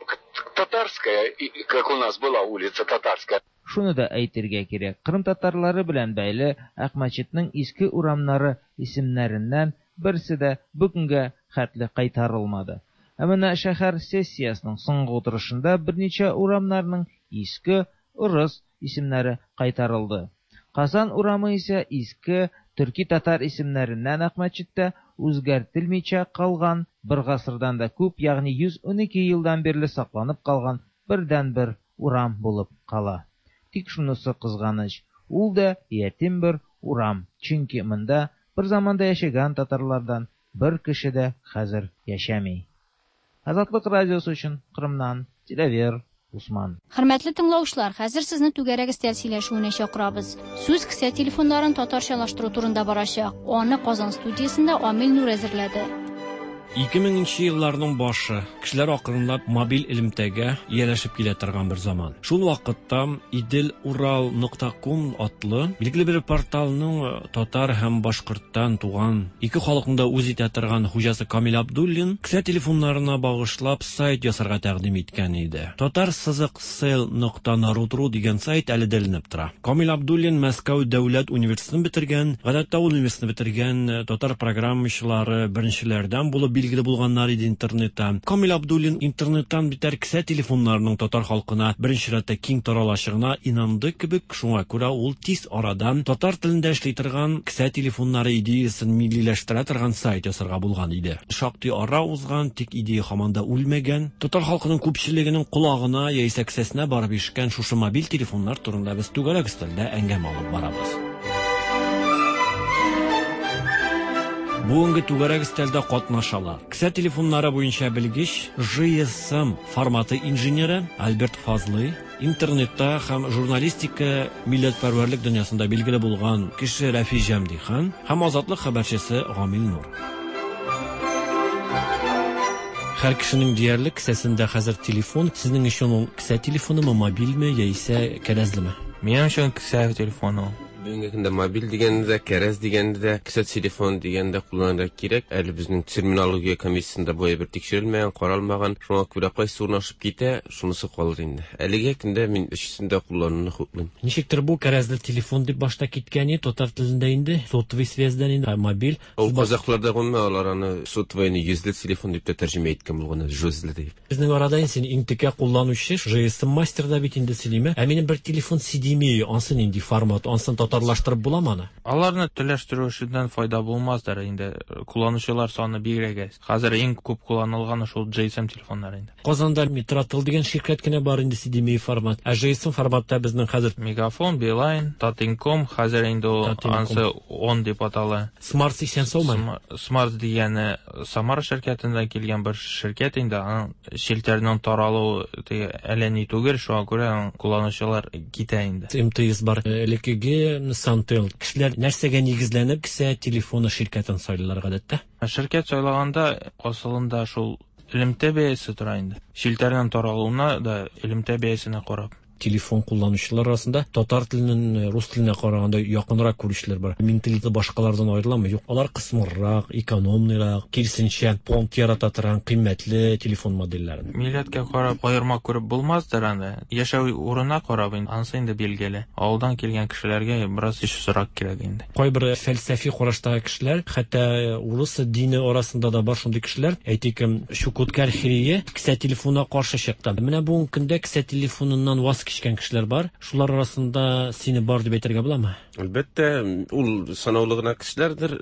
татарское, как у нас была улица Татарская. Шуны да әйтергә кирәк, Кырым татарлары белән бәйле Акмәчетнең иске урамнары исемнәреннән берсе дә бүгенгә хәтле кайтарылмады. Ә менә шәһәр сессиясының соңгы утырышында берничә урамнарның иске урыс исемнәре кайтарылды. Казан урамы исә иске төрки татар исемнәреннән Акмәчеттә үзгәртелмичә калган бер гасырдан да күп, ягъни 112 елдан бирле сакланып калган бердәнбер урам булып кала. Тик шунысы кызганыч, ул да ятим бер урам, чөнки монда бер заманда яшәгән татарлардан бер кеше дә хәзер яшәми. Азатлык радиосы өчен Кырымнан Диләвер Усман. Хөрмәтле тыңлаучылар, хәзер сезне түгәрәк өстәл сөйләшүенә чакырабыз. Сүз кесә телефоннарын татарчалаштыру турында барачак. Аны Казан студиясендә Амил Нур әзерләде. 2000 нче елларның башы. Кешеләр акрынлап мобиль элемтәгә ияләшеп килә торган бер заман. Шул вакытта Идел-Урал нокта ком атлы билгеле бер порталның татар һәм башкорттан туган ике халыкны да үз итә торган хуҗасы Камил Абдуллин кесә телефоннарына багышлап сайт ясарга тәкъдим иткән иде. Татар сызык сел нокта народ ру дигән сайт әле дә эленеп тора. Камил Абдуллин Мәскәү дәүләт университетын бетергән. Гадәттә ул университетны бетергән татар программачылары беренчеләрдән булып билгеле булганнар иде интернетта. Камил Абдуллин интернеттан битәр кесә телефоннарының татар халкына беренче рәттә киң таралачагына инанды кебек, шуңа күрә ул тиз арадан татар телендә эшли торган кесә телефоннары идеясен миллиләштерә торган сайт ясарга булган иде. Шактый ара узган, тик идея һаман да үлмәгән. Татар халкының күпчелегенең колагына яисә кесәсенә барып ишкән шушы мобиль телефоннар турында без түгәрәк өстәлдә әңгәмә алып барабыз. Бүгенге түгәрәк өстәлдә катнашалар. Кесә телефоннары буенча белгеч, GSM форматы инженеры Альберт Фазлый, интернетта һәм журналистика милләтпәрвәрлек дөньясында билгеле булган кеше Рәфис Җәмдихан һәм Азатлык хәбәрчесе Гамил Нур. Һәр кешенең диярлек кесәсендә хәзер телефон. Сезнең өчен ул кесә телефонымы, мобильме яисә кәрәзлеме? Минем өчен кесә телефоны ул. Бүгенге көндә мобиль дигәнне дә, кәрәз дигәнне дә, кесә телефон дигәнне дә кулланырга кирәк. Әле безнең терминология комиссиясендә бу әйбер тикшерелмәгән, каралмаган. Шуңа күрә кайсы урнашып китә, шунысы калыр инде. Әлегә көндә мин өчесен дә куллануны хуплыйм. Ничектер бу кәрәзле телефон дип башта киткән иде, татар телендә инде, сотовый связьдән инде, ә мобиль. Ул казахларда гомумән алар аны сотовыйны йөзле телефон дип тә тәрҗемә иткән булган, жүзле дип. Безнең арада инде син иң текә кулланучы, GSM мастер да бит инде син, име? Ә минем бер телефон CDMA, ансы нинди формат, ансын татарлаштырып буламы аны? Аларны телләштерү эшеннән файда булмаздыр инде, кулланучылар саны бигрәк әз. Хәзер иң күп кулланылганы шул GSM телефоннары инде. Казанда Митрател дигән ширкәт кенә бар инде CDMA формат. Ә GSM форматта безнең хәзер Мегафон, Билайн, Татинком, хәзер инде ул ансы он дип атала. Смарт исән саумы? Смарт дигәне Самара ширкәтеннән килгән бер ширкәт инде, аның челтәрнең таралуы теге әллә ни түгел, шуңа күрә аның кулланучылар китә инде. МТС бар, элеккеге Сантел. Кешеләр нәрсәгә нигезләнеп кесә телефоны ширкәтен сайлыйлар гадәттә? Ширкәт сайлаганда асылында шул элемтә бәясе тора инде. Челтәрнең таралуына да элемтә бәясенә карап. Телефон кулланучылар арасында татар теленең рус теленә караганда якынрак күрүчеләр бар. Менталитеты башкалардан аерыламы? Юк, алар кысмыррак, экономныйрак, киресенчә, понт ярата торган кыйммәтле телефон модельләрен. Милләткә карап аерма күреп булмаздыр аны. Яшәү урынына карап инде, анысы инде билгеле. Авылдан килгән кешеләргә бераз ешрак кирәк инде. Кайбер фәлсәфи караштагы кешеләр, хәтта урыс дине арасында да бар шундый кешеләр, әйтик, Чукотка архиерее кесә телефонына каршы чыкты. Менә бүгенге көндә кесә телефоныннан ваз кичкән кешеләр бар. Шулар арасында сине бар дип әйтергә буламы? Әлбәттә, ул санаулы гына кешеләрдер.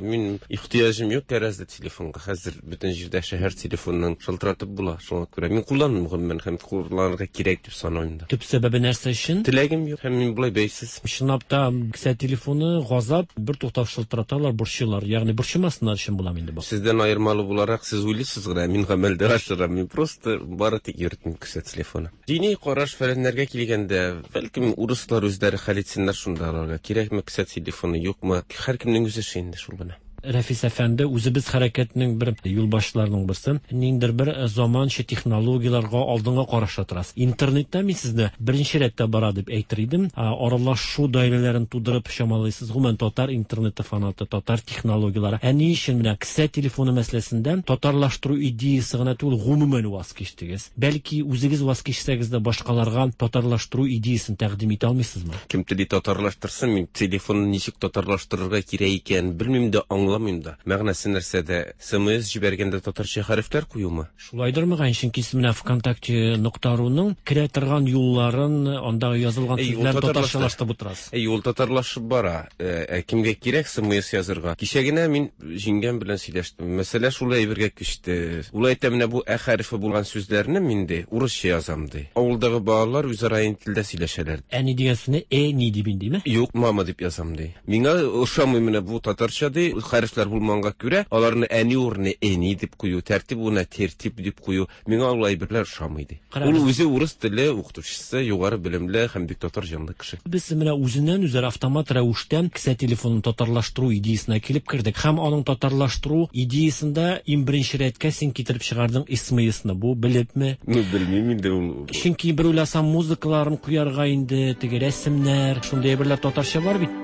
Мин ихтыяҗым юк кәрәзле телефонга. Хәзер бөтен җирдә шәһәр телефоныннан шалтыратып була. Шуңа күрә мин кулланмыйм гомумән һәм кулланырга кирәк дип санамыйм да. Төп сәбәбе нәрсә өчен? Теләгем юк һәм мин болай бәйсез. Чынлап та, кесә телефоны газап, бер туктап шылтыраталар, борчыйлар. Ягъни борчымасыннар өчен буламы инде бу? Сездән аермалы буларак, сез уйлыйсыз гына, мин гамәлдә ашырам. Мин просто бары тик йөртмим кесә телефоны. Дини караш фәләннәргә килгәндә, бәлкем урыслар үзләре хәл итсеннәр шунда аларга. Кирәкме кесә телефоны, юкмы? Һәркемнең үз эше инде шул гына. Рәфис әфәнде, үзебез хәрәкәтнең бер юлбашчыларының берсе, ниндидер бер заманча технологияләргә алдынгы карашта торасыз. Интернетта мин сезне беренче рәттә бара дип әйтер идем. Аралашу даирәләрен тудырып чамалыйсыз. Гомумән, татар интернеты фанаты, татар технологияләре. Ә ни өчен менә кесә телефоны мәсьәләсендә татарлаштыру идеясы гына түгел, гомумән ваз кичтегез? Бәлки үзегез ваз кичсәгез дә башкаларга татарлаштыру идеясын тәкъдим итә алмыйсызмы? Кем тели татарлаштырсын, мин телефонны ничек татарлаштырырга кирәк икәнен белмим дә, аңламыйм да. Мәгънәсе нәрсәдә? СМС җибәргәндә татарча хәрефләр куюмы? Шулайдыр мөгаен, чөнки сез менә ВКонтакте нокта руның керә торган юлларын, андагы язылган сүзләрен татарчалаштырып утырасыз. Әй, ул татарлашып бара. Ә кемгә кирәк СМС язырга? Кичә генә мин җиңгәм белән сөйләштем. Мәсьәлә шул әйбергә күчте. Ул әйтә, менә бу ә хәрефе булган сүзләрне мин ди, урысча язам ди. Авылдагы балалар үзара ин телдә сөйләшәләр. Әни дигән сүзне э ни дип индиме? Юк, мама дип язам ди. Миңа ошамый менә бу татарча ди, хәрефләр булмаганга күрә, аларны әни урынына эни дип кую, тәртип урынына тертип дип кую, миңа ул әйберләр ошамый ди. Ул үзе урыс теле укытучысы, югары белемле һәм бик татар җанлы кеше. Без менә үзеннән-үзләре автомат рәвештә кесә телефонын татарлаштыру идеясенә килеп кердек. Һәм аның татарлаштыру идеясендә иң беренче рәткә син китереп чыгардың СМСны. Бу белепме? Ну, белмим инде ул. Чөнки бер уйласаң, музыкаларын куярга инде, теге рәсемнәр, шундый әйберләр татарча бар бит.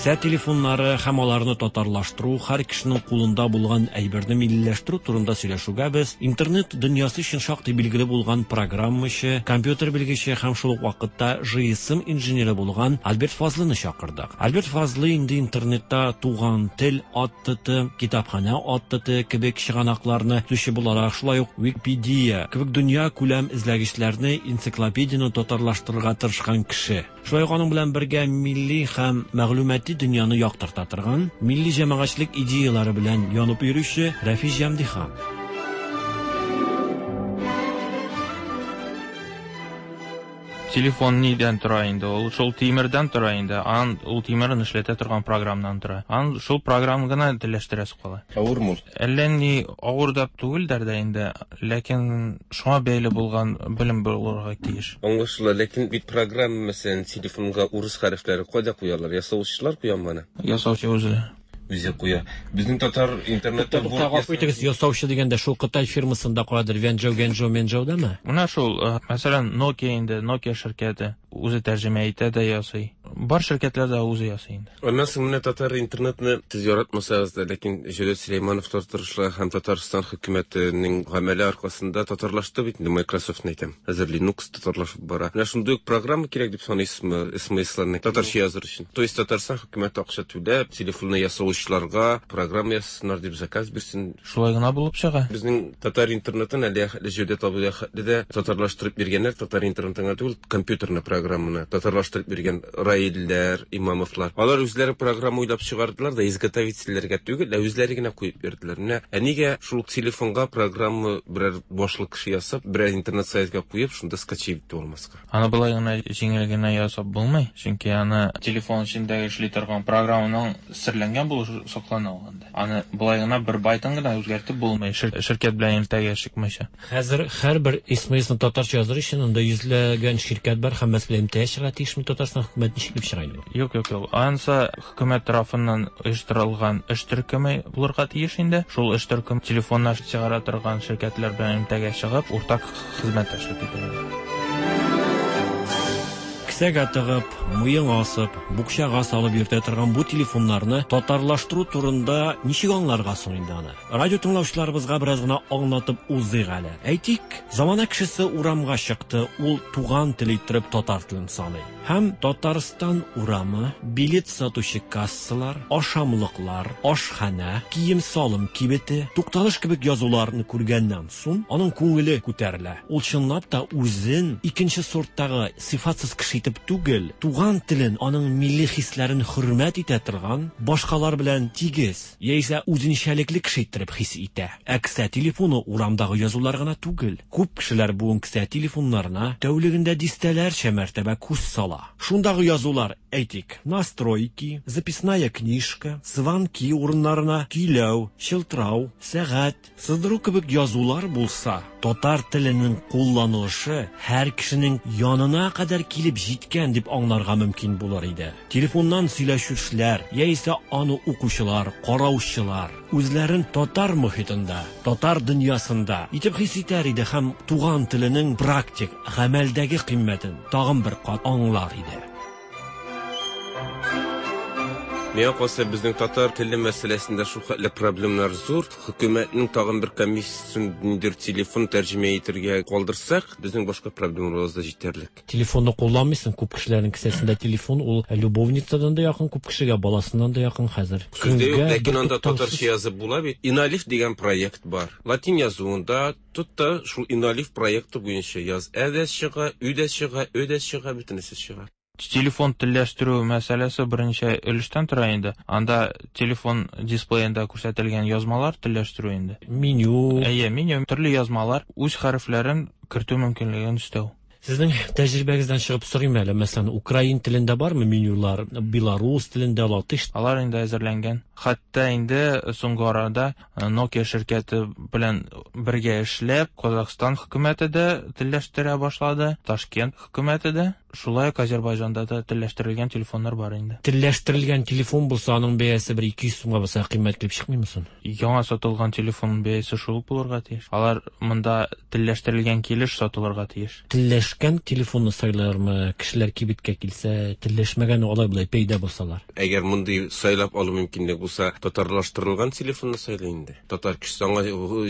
Кесә телефоннары һәм аларны татарлаштыру, һәр кешенең кулында булган әйберне миллиләштерү турында сөйләшүгә без интернет дөньясы өчен шактый билгеле булган программачы, компьютер белгече һәм шул ук вакытта GSM инженеры булган Альберт Фазлыны чакырдык. Альберт Фазлы инде интернетта Туган тел АТТ, Китапханә АТТ кебек чыганакларны төзүче буларак, шулай ук Википедия кебек дөнья күләм эзләгечләрне, энциклопедияне татарлаштырырга тырышкан кеше. Шулай ук аның белән бергә милли һәм мәгълүмати дөньяны яктырта торган, милли җәмәгатьчелек идеяләре белән янып йөрүче Рәфис Җәмдихан. Телефон нидән тора инде? Ул шул тимердән тора инде. Ан ул тимерен эшләтә торган программнан тора. Ан шул программа гына телләштерәсе кала. Авырмы ул? Әллә ни авыр да түгелдер дә инде, ләкин шуңа бәйле булган белем булырга тиеш. Аңлашыла, ләкин бит программа, мәсәлән, телефонга урыс хәрефләре кайда куялар? Ясаучылар куямы аны? Ясаучы үзе. Үзе куя. Безнең татар интернетта Тукта, гафу итегез, ясаучы дигәндә шул Кытай фирмасында куядыр, Венжоу, Генжоу, Менжоудамы? Менә шул, мәсәлән, Nokia инде, Nokia ширкәте үзе тәрҗемә итә дә ясый. Бар ширкәтләр дә үзе ясый инде. Аннан соң менә татар интернетны сез яратмасагыз да, ләкин Җәүдәт Сөләймановлар тырышлыгы һәм Татарстан хөкүмәтенең гамәле аркасында татарлашты бит инде, Microsoft-ны әйтәм. Хәзер Linux татарлашып бара. Менә шундый ук программа кирәк дип саныйсызмы, СМС-ларны татарча языр өчен? То есть Татарстан хөкүмәте акча түләп, телефонны ясаучыларга программа ясасыннар дип заказ бирсен. Шулай гына булып чыга. Безнең татар интернетын әле Җәүдәт абый хәтле дә татарлаштырып биргәннәр, татар интернетын гына түгел, компьютерны программаны татарлаштырып биргән Раилләр, Имамовлар. Алар үзләре программа уйлап чыгардылар да, изготовительләргә түгел, ә үзләре генә куеп бирделәр. Менә ә нигә шул ук телефонга программа берәр башлы кеше ясап, берәр интернет сайтка куеп, шунда скачать итеп алмаска? Аны болай гына җиңел генә ясап булмый, чөнки аны телефон эчендәге эшли торган программаның серләнгән булышы саклана ул анда. Аны болай гына бер байтын гына үзгәртеп булмый, ширкәт белән элемтәгә чыкмыйча. Хәзер һәрбер СМСны татарча языр өчен анда йөзләгән ширкәт бар, һәммәсе белән элемтәгә чыгарга тиешме Татарстан хөкүмәте ничек итеп чыга инде бу? Юк, юк, юк. Ансы хөкүмәт тарафыннан оештырылган эш төркеме булырга тиеш инде. Шул эш төркем телефоннар чыгара торган ширкәтләр белән элемтәгә чыгып, уртак хезмәттәшлек итә инде. Кесәгә тыгып, муенга асып, букчага салып йөртә торган бу телефоннарны татарлаштыру турында ничек аңларга соң инде аны? Радио тыңлаучыларыбызга бераз гына аңлатып узыйк әле. Әйтик, замана кешесе урамга чыкты, ул туган тел иттереп татар телен саный. Һәм Татарстан урамы, билет сатучы кассалар, ашамлыклар, ашханә, кием-салым кибете, тукталыш кебек язуларны күргәннән соң, аның күңеле күтәрелә. Ул чынлап та үзен икенче сорттагы сыйфатсыз кеше итеп түгел, туган телен, аның милли хисләрен хөрмәт итә торган, башкалар белән тигез, яисә үзенчәлекле кеше иттереп хис итә. Ә кесә телефоны урамдагы язулар гына түгел. Күп кешеләр бүген кесә телефоннарына тәүлегендә дистәләрчә мәртәбә күз сала. Шундагы язулар, әйтик, настройки, записная книжка, звонки урыннарына көйләү, чылтырау, сәгать, сыздыру кебек язулар булса, татар теленең кулланылышы һәр кешенең янына кадәр килеп җиткән дип аңларга мөмкин булыр иде. Телефоннан сөйләшүчеләр, яисә аны укучылар, караучылар үзләрен татар мохитында, татар дөньясында итеп хис итәр иде һәм туган теленең практик, гамәлдәге кыйммәтен тагын бер кат аңлар иде. Миңа калса, безнең татар теле мәсьәләсендә шул хәтле проблемнар зур. Хөкүмәтнең тагын бер комиссиясен ниндидер телефон тәрҗемә итәргә калдырсак, безнең башка проблемаларыбыз да җитәрлек. Телефонны кулланмыйсың, күп кешеләрнең кесәсендә телефон, ул любовницадан да якын, күп кешегә баласыннан да якын хәзер. Сүз дә юк, ләкин анда татарча язып була бит. Иналиф дигән проект бар. Латин язуында тот та шул Иналиф проекты буенча яз. Ә дә чыга, Ү дә чыга, Ö дә чыга, бөтенесе чыга. Телефон телләштерү мәсьәләсе берничә өлештән тора инде. Анда телефон дисплеенда күрсәтелгән язмалар телләштерү инде. Меню. Әйе, меню, төрле язмалар, үз хәрефләрен кертү мөмкинлеген өстәү. Сезнең тәҗрибәгездән чыгып сорыйм әле, мәсәлән, украин телендә бармы менюлар, белорус телендә, латыш? Алар инде әзерләнгән. Хәтта инде соңгы арада Nokia ширкәте белән бергә эшләп, Казахстан хөкүмәте дә телләштерә башлады, Ташкент хөкүмәте дә, шулай ук Азербайҗанда да телләштерелгән телефоннар бар инде. Телләштерелгән телефон булса, аның бәясе бер 200 сумга булса кыйммәт килеп чыкмыймы соң? Яңа сатылган телефон бәясе шул ук булырга тиеш. Алар монда телләштерелгән килеш сатылырга тиеш. Телләшкән телефонны сайлармы, кешеләр кибеткә килсә, телләшмәгән алай-болай пәйда булсалар? Әгәр мондый сайлап алу мөмкинлеге булса, татарлаштырылган телефонны сайлый инде. Татар кешесе аңа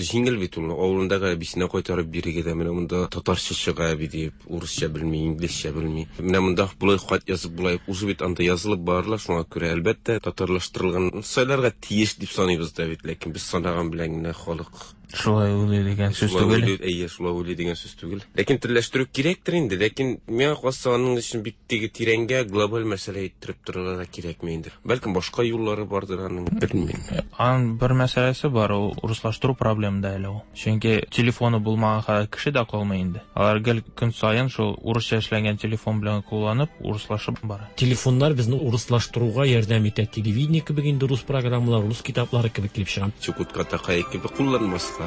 җиңел бит ул. Авылындагы әбисенә кайтарып бирергә дә, менә монда татарча чыга әби дип, урысча белми, инглизчә белми. Менә монда болай хат язып болай, уже бит анда язылып барыла, шуңа күрә, әлбәттә, татарлаштырылган сайларга тиеш дип саныйбыз да бит, ләкин без санаган белән генә халык Шулай уйлый дигән сүз түгел. Әйе, шулай уйлый дигән сүз түгел. Ләкин телләштерү кирәктер инде, ләкин миңа калса аның өчен бик теге тирәнгә глобаль мәсьәлә иттереп торырга да кирәкми инде. Бәлкем башка юллары бардыр аның, белмим. Аның бер мәсьәләсе бар, ул урыслаштыру проблемы да әле ул. Чөнки телефоны булмаган хәзер кеше дә калмый инде. Алар гел көн саен шул урысча эшләнгән телефон белән кулланып, урыслашып бара. Телефоннар безне урыслаштыруга ярдәм итә. Телевидение кебек инде рус программалары, рус китаплары кебек килеп чыга. Чукотка такай кебек кулланмаска.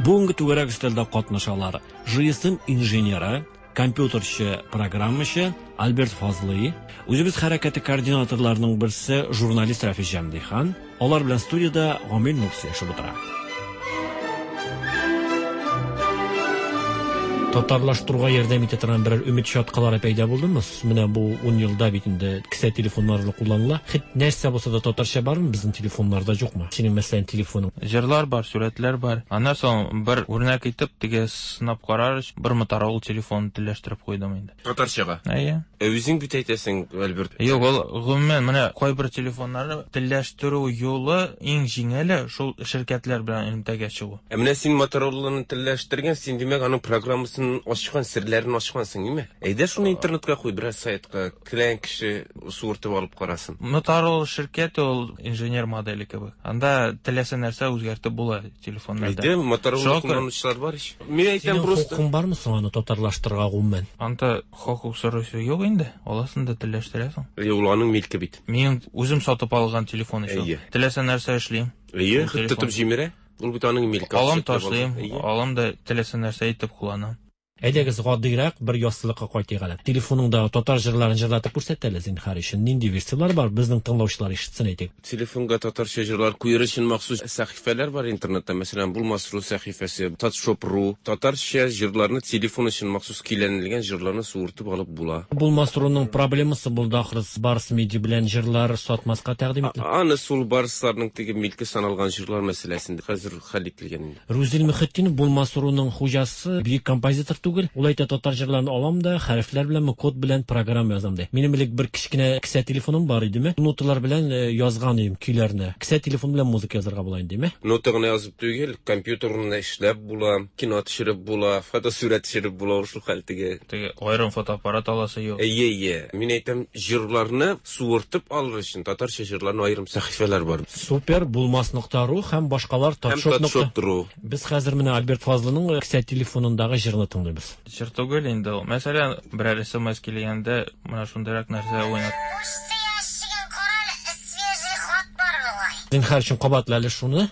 Бүгенге түгәрәк өстәлдә катнашалар GSM инженеры, компьютерчы, программачы Альберт Фазлый, үзебез хәрәкәте координаторларының берсе журналист Рафис Җәмдихан, алар белән студиядә Гамил Нур сөйләшеп утыра. Татарлаштыруга ярдәм итә торган берәр өмет чаткалары пәйда булдымы? Менә бу 10 елда бит инде кесә телефоннары кулланыла. Хет нәрсә булса да татарча бармы безнең телефоннарда, юкмы? Синең, мәсәлән, телефоның. Җырлар бар, сурәтләр бар. Аннан соң бер үрнәк итеп теге сынап карар өчен бер Motorola телефонын телләштереп куйдым инде. Татарчага? Әйе. Ә үзең бит әйтәсең, Альберт. Юк, ул гомумән менә кайбер телефоннарны телләштерү юлы иң җиңеле шул ширкәтләр белән элемтәгә чыгу. Ә менә син Мотороланы телләштергән, син димәк аның программасын ачкан, серләрен ачкансың, димме? Әйдә шуны интернетка куй, берәр сайтка, теләгән кеше суыртып алып карасын. Motorola ширкәте ул инженер модели кебек. Анда теләсә нәрсә үзгәртеп була телефоннарда. Әйдә, Motorola кулланучылар бар ич. Мин әйтәм Синең просто. хокукың бармы соң аны татарлаштырырга гомумән? Анда хокук сорыйсы юк инде. Аласың да телләштерәсең. Әйе, ул аның милке бит. Мин үзем сатып алган телефон ич ул. Әйе. Теләсә нәрсә эшлим. Әйе, Ул хет телефон. тотып җимерә. Ул бит аның милке. Алам Акча түләп ташлыйм, алган. Әйе. алам да теләсә нәрсә итеп кулланам. Әйдәгез гадирәк бер яссылыкка кайтыйк әле. Телефоныңда татар җырларын җырлатып күрсәт әле, зинһар өчен. Нинди версияләр бар, безнең тыңлаучылар ишетсен әйтик. Телефонга татарча җырлар куер өчен махсус сәхифәләр бар интернетта. Мәсәлән, Булмас.ру сәхифәсе, Татшоп.ру. Татарча җырларны телефон өчен махсус көйләнелгән җырларны суыртып алып була. Булмас.руның проблемасы булды ахры, Барс Медиа белән җырлар сатмаска тәкъдим ителде. Аны сул Барсларның теге милке саналган җырлар мәсьәләсендә хәзер хәл ителгән инде. Рузил Мөхетдинов Булмас.руның хуҗасы, бөек композитор түгел. Ул әйтә, татар җырларын алам да, хәрефләр беләнме, код белән программа язам ди. Минем элек бер кечкенә кесә телефоным бар идеме? Ноталар белән язган идем көйләрне. Кесә телефон белән музыка язарга була инде, димме? Нота гына язып түгел, компьютерында эшләп була, кино төшереп була, фотосурәт төшереп була, шул хәл теге. Теге аерым фотоаппарат аласы юк. Әйе, әйе. Мин әйтәм, җырларны суыртып алыр өчен татарча җырларны аерым сәхифәләр бар. Супер, булмас.ру һәм башкалар Һәм татшоп нокта. татшоп.ру. Без хәзер менә Альберт Фазлының кесә телефонындагы җырны тыңлыйбыз. Җыр түгел инде ул. Мәсәлән, берәр SMS килгәндә менә шундыйрак нәрсә уйнат. Зинһар өчен кабатла әле шуны.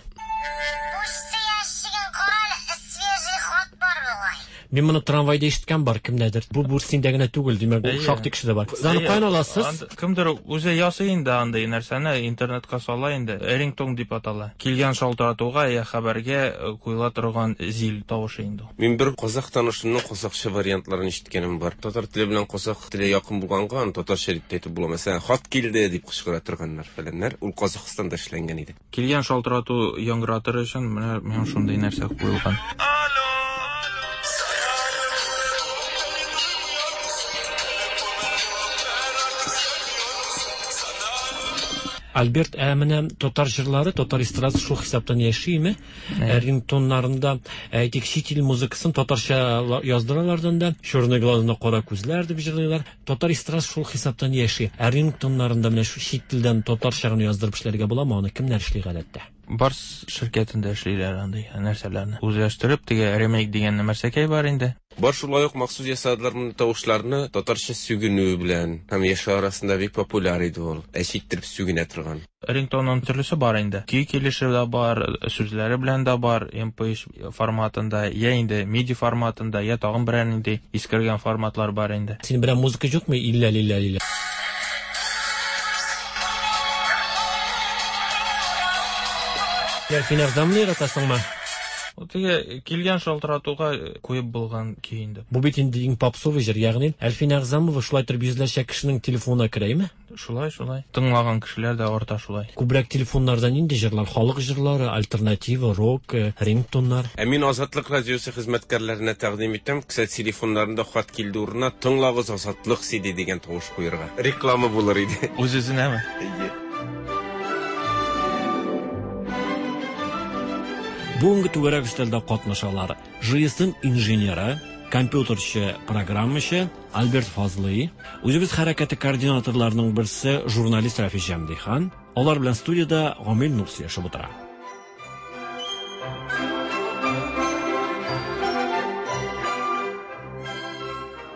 Мин моны трамвайда ишеткән бар кемнәдер. Бу Бурсиндә генә түгел, димәк, ул Әйе. шактый кешедә бар. Сез аны Әйе, каян аласыз? Кемдер үзе ясый инде андый нәрсәне, интернетка сала инде. Рингтон дип атала. Килгән шалтыратуга я хәбәргә куела торган зил тавышы инде ул. Мин бер казах танышымның казахча вариантларын ишеткәнем бар. Татар теле белән казах теле якын булганга, аны татарча дип тә әйтеп була. Мәсәлән, хат килде дип кычкыра торганнар фәләннәр. Ул Казахстанда эшләнгән иде. Килгән шалтырату яңгыратыр өчен менә миңа шундый нәрсә куелган. Альберт, ә менә татар җырлары, татар эстрадасы шул хисаптан яшиме? Рингтоннарында, әйтик, чит ил музыкасын татарча яздыралардан да, Черный глазына кара күзләр дип җырлыйлар. Татар эстрадасы шул хисаптан яши. Ә рингтоннарында менә шу чит телдән татарча гына яздырып эшләргә буламы? Аны кемнәр эшли гадәттә? Барс ширкәтендә эшлиләр андый нәрсәләрне. Үзләштереп, теге ремейк дигән нәрсәкәй бар инде. Бар шулай ук махсус ясадылар мондый тавышларны татарча сүгенү белән һәм яшьләр арасында бик популяр иде ул. Әче иттереп сүгенә торган. Рингтонның төрлесе бар инде. Көй килеше дә бар, сүзләре белән дә бар, MP3 форматында, я инде MIDI форматында, я тагын берәр нинди искергән форматлар бар инде. Син берәр музыка юкмы? Иллә лиллә лиллә. Әлфинә Әгъзамны яратасыңмы? Ул теге килгән шалтыратуга куеп булган көй инде. Бу бит инде иң попсовый җыр, ягъни Әлфинә Әгъзамова шулай торып йөзләрчә кешенең телефонына керәме? Шулай, шулай. Тыңлаган кешеләр дә арта шулай. Күбрәк телефоннарда нинди җырлар? Халык җырлары, альтернатива, рок, рингтоннар? Ә мин Азатлык радиосы хезмәткәрләренә тәкъдим итәм, кесә телефоннарында хат килде урынына Тыңлагыз Азатлык CD дигән тавыш куерга. Реклама булыр иде. Үз-үзенәме? Әйе. Бүгенге түгәрәк өстәлдә катнашалар ЖСМ инженеры, компьютерчы, программачы Альберт Фазлый, үзебез хәрәкәте координаторларының берсе журналист Рафис Җәмдихан, алар белән студиядә Гамил Нур сөйләшеп утыра.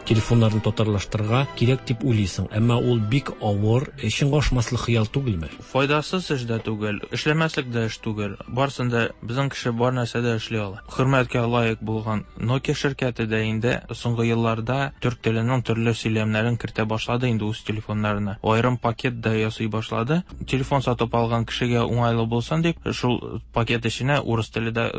Телефоннарны татарлаштырырга кирәк дип уйлыйсың, әмма ул бик авыр, чынга ашмаслык хыял түгелме? Файдасыз эш дә түгел, эшләмәслек дә эш түгел. Барсын да безнең кеше бар нәрсә дә эшли ала. Хөрмәткә лаек булган Nokia ширкәте дә инде соңгы елларда төрк теленең төрле сөйләмнәрен кертә башлады инде үз телефоннарына. Аерым пакет да ясый башлады. Телефон сатып алган кешегә уңайлы булсын дип, шул пакет эченә урыс теле дә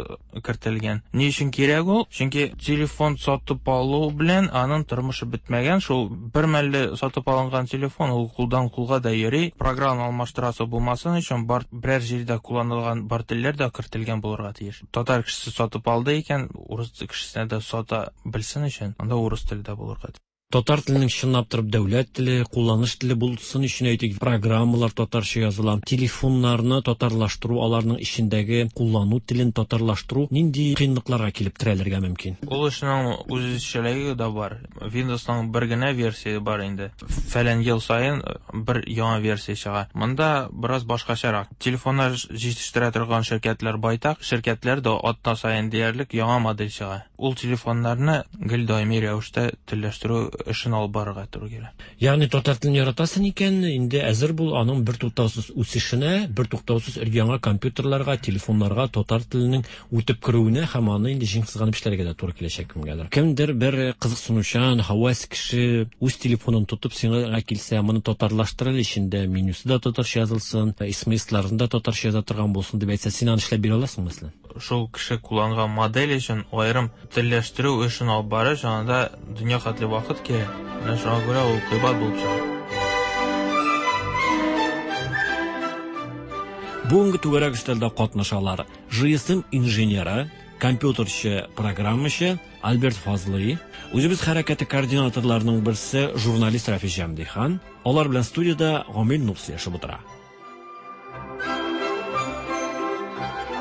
кертелгән. Ни өчен кирәк ул? Чөнки телефон сатып алу белән аның тормышы бетмәгән. Шул бер мәлле сатып алынган телефон ул кулдан кулга да йөри. Программа алмаштырасы булмасын өчен бар берәр җирдә кулланылган бар телләр дә кертелгән булырга тиеш. Татар кешесе сатып алды икән, урыс кешесенә дә сата белсен өчен, анда урыс теле дә булырга тиеш. Татар теленең чынлап торып дәүләт теле, кулланыш теле булсын өчен әйтик, программалар татарча языла, телефоннарны татарлаштыру, аларның эчендәге куллану телен татарлаштыру нинди кыенлыкларга килеп терәлергә мөмкин? Ул эшнең үзенчәлеге дә бар. Windowsның бер генә версия бар инде. Фәлән ел саен бер яңа версия чыга. Монда бераз башкачарак. Телефоннар җитештерә торган ширкәтләр байтак, ширкәтләр дә атна саен диярлек яңа модель чыга. Ул телефоннарны гел даими рәвештә телләштерү эшен алып барырга туры килә. Ягъни татар телен яратасың икән, инде әзер бул аның бертуктаусыз үсешенә, бертуктаусыз өр-яңа компьютерларга, телефоннарга татар теленең үтеп керүенә һәм аны инде җиң сызганып эшләргә дә туры киләчәк кемгәдер. Кемдер бер кызыксынучан, һәвәс кеше үз телефонын тотып сиңа килсә, моны татарлаштыр әле, эчендә менюсы да татарча язылсын, смсларын да татарча яза торган булсын дип әйтсә, син аны эшләп бирә аласыңмы, мәсәлән? Шул кеше кулланган модель өчен аерым телләштерү эшен алып барыш, анда дөнья хәтле вакыт кирәк. Менә шуңа күрә ул кыйбат булып чыга. Бүгенге түгәрәк өстәлдә катнашалар ЖСМ инженеры, компьютерчы, программачы Альберт Фазлый, үзебез хәрәкәте координаторларының берсе журналист Рафис Җәмдихан, алар белән студиядә Гамил Нур сөйләшеп утыра.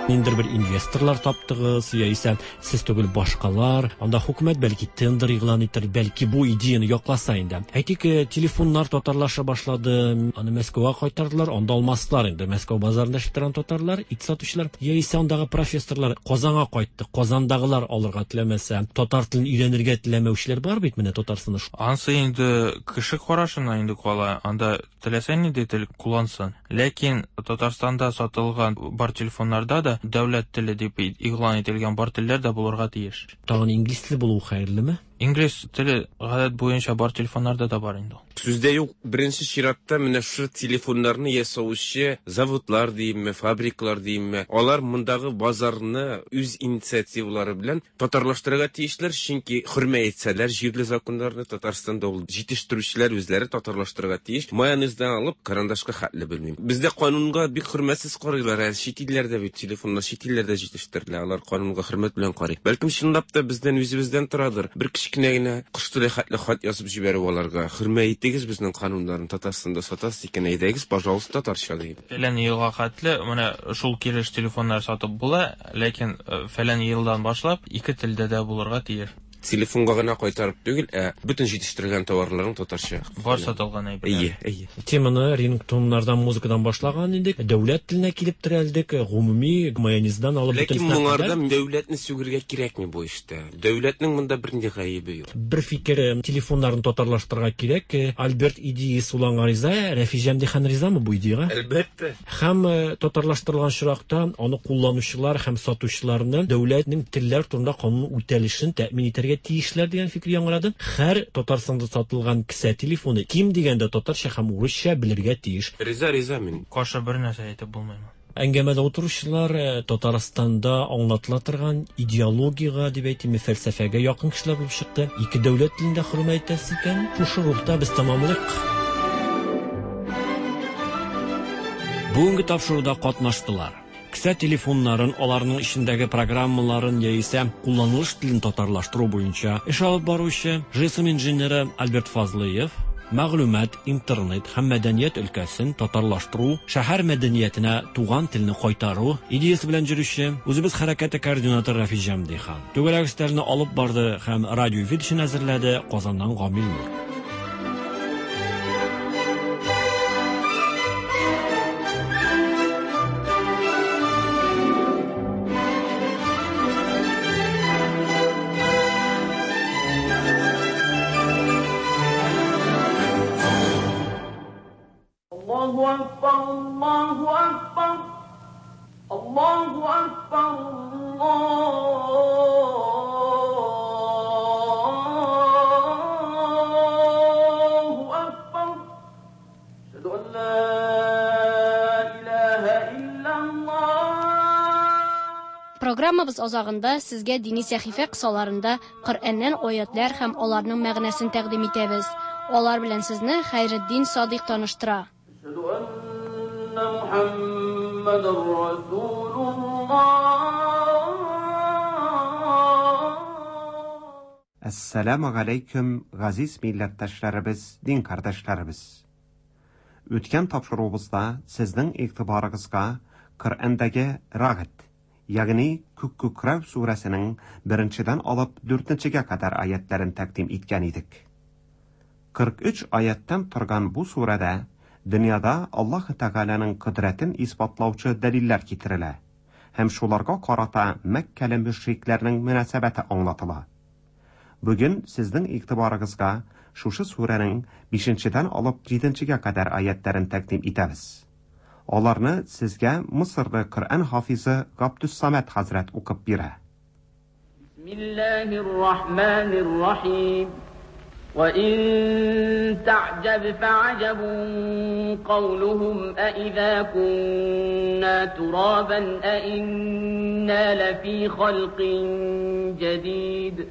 Ниндидер бер инвесторлар таптыгыз, яисә сез түгел башкалар, анда хөкүмәт бәлки тендер игълан итер, бәлки бу идеяны якласа инде. Әйтик, телефоннар татарлаша башлады, аны Мәскәүгә кайтардылар, анда алмастылар инде. Мәскәү базарында эшләп торган татарлар, ит сатучылар, яисә андагы профессорлар Казанга кайтты, Казандагылар алырга теләмәсә, татар телен өйрәнергә теләмәүчеләр бар бит менә Татарстанда. Ансы инде кеше карашына инде кала, анда теләсә нинди тел куллансын. Ләкин Татарстанда сатылган бар телефоннарда да дәүләт теле дип игълан ителгән бар телләр дә булырга тиеш. Тагын инглиз теле булуы хәерлеме? Инглиз теле гадәт буенча бар телефоннарда да бар инде ул. Сүздә юк, беренче чиратта менә шушы телефоннарны ясаучы заводлар диимме, фабрикалар диимме, алар мондагы базарны үз инициативалары белән татарлаштырырга тиешләр, чөнки хөрмәт итсәләр җирле законнарны, Татарстанда ул җитештерүчеләр үзләре татарлаштырырга тиеш. Майонездан алып карандашка хәтле белмим. Бездә канунга бик хөрмәтсез карыйлар, ә чит илләрдә бит телефоннар чит илләрдә җитештерелә, алар канунга хөрмәт белән карый. Бәлкем чынлап та бездән үзебездән торадыр. Бер кечкенә генә кош теле хәтле хат язып җибәрү аларга. Хөрмәт итегез безнең кануннарны, Татарстанда сатасыз икән, әйдәгез, пожалуйста, татарча диеп. Фәлән елга хәтле менә шул килеш телефоннар сатып була, ләкин фәлән елдан башлап ике телдә дә булырга тиеш. Телефонга гына кайтарып түгел, ә бөтен җитештерелгән товарларның татарча. Бар сатылган әйберләр. Әйе, әйе. Теманы рингтоннардан, музыкадан башлаган идек. Дәүләт теленә килеп терәлдек. Гомуми майонездан алып Ләкин бөтенесенә моңарда кадәр. дәүләтне сүгергә кирәкми бу эштә. Дәүләтнең монда бернинди гаебе юк. Бер фикер, телефоннарны татарлаштырырга кирәк. Альберт идеясе уланган риза, Рәфис Җәмдихан ризамы бу идеягә? Әлбәттә. Һәм татарлаштырылган очракта аны кулланучылар һәм сатучыларны дәүләтнең телләр турында канун үтәлешен тәэмин итәргә тиешләр дигән фикер яңгырады. Һәр Татарстанда сатылган кесә телефоны ким дигәндә татарча һәм урысча белергә тиеш. Риза, риза мин. Каршы бер нәрсә әйтеп булмыймы? Әңгәмәдә утыручылар Татарстанда аңлатыла торган идеологиягә, дип әйтимме, фәлсәфәгә якын кешеләр булып чыкты. Ике дәүләт телен дә хөрмәт итәсез икән, шушы рухта без тәмамлыйк. Бүгенге тапшыруда катнаштылар. Кесә телефоннарын, аларның эчендәге программаларын яисә кулланылыш телен татарлаштыру буенча эш алып баручы ЖСМ инженеры Альберт Фазлыев, мәгълүмат, интернет һәм мәдәният өлкәсен татарлаштыру, шәһәр мәдәниятенә туган телне кайтару идеясе белән йөрүче үзебез хәрәкәте координаторы Рафис Җәмдихан. Түгәрәк өстәлне алып барды һәм радио эфир өчен әзерләде Казаннан Гамил Нур. الله أكبر الله أكبر الله أكبر الله أكبر أشهد أن لا إله إلا الله Программабыз азагында сезгә дини сәхифә кысаларында Коръәннән аятлар һәм аларның мәгънәсен тәкъдим итәбез. Алар белән сезне Хәйретдин Садыйк таныштыра. أشهد أن محمدا رسول الله Әссәламу галәйкүм, газиз милләттәшләребез, дин кардәшләребез. Үткән тапшыруыбызда сезнең игътибарыгызга Коръәндәге Рагд, ягъни Күк күкрәү сүрәсенең беренчедән алып дүртенчегә кадәр аятларын тәкъдим иткән идек. 43 аяттан торган бу сүрәдә дөньяда Аллаһ Тәгаләнең кодрәтен исбатлаучы дәлилләр китерелә һәм шуларга карата Мәккәле мөшрикләрнең мөнәсәбәте аңлатыла. Бүген сезнең игътибарыгызга шушы сүрәнең 5-дән алып 7-гә кадәр аятларын тәкъдим итәбез. Аларны сезгә Мисырлы Коръән хафизы Габдус-Самад хәзрәт укып бирә. بسم الله الرحمن الرحيم وإن تعجب فعجب قولهم أإذا كنا ترابا أإنا لفي خلق جديد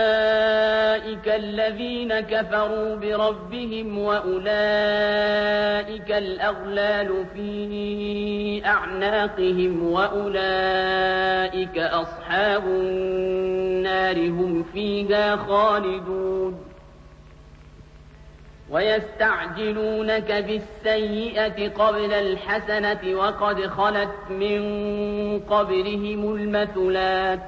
أولئك الذين كفروا بربهم وأولئك الأغلال في أعناقهم وأولئك أصحاب النار هم فيها خالدون ويستعجلونك بالسيئة قبل الحسنة وقد خلت من قبلهم المثلات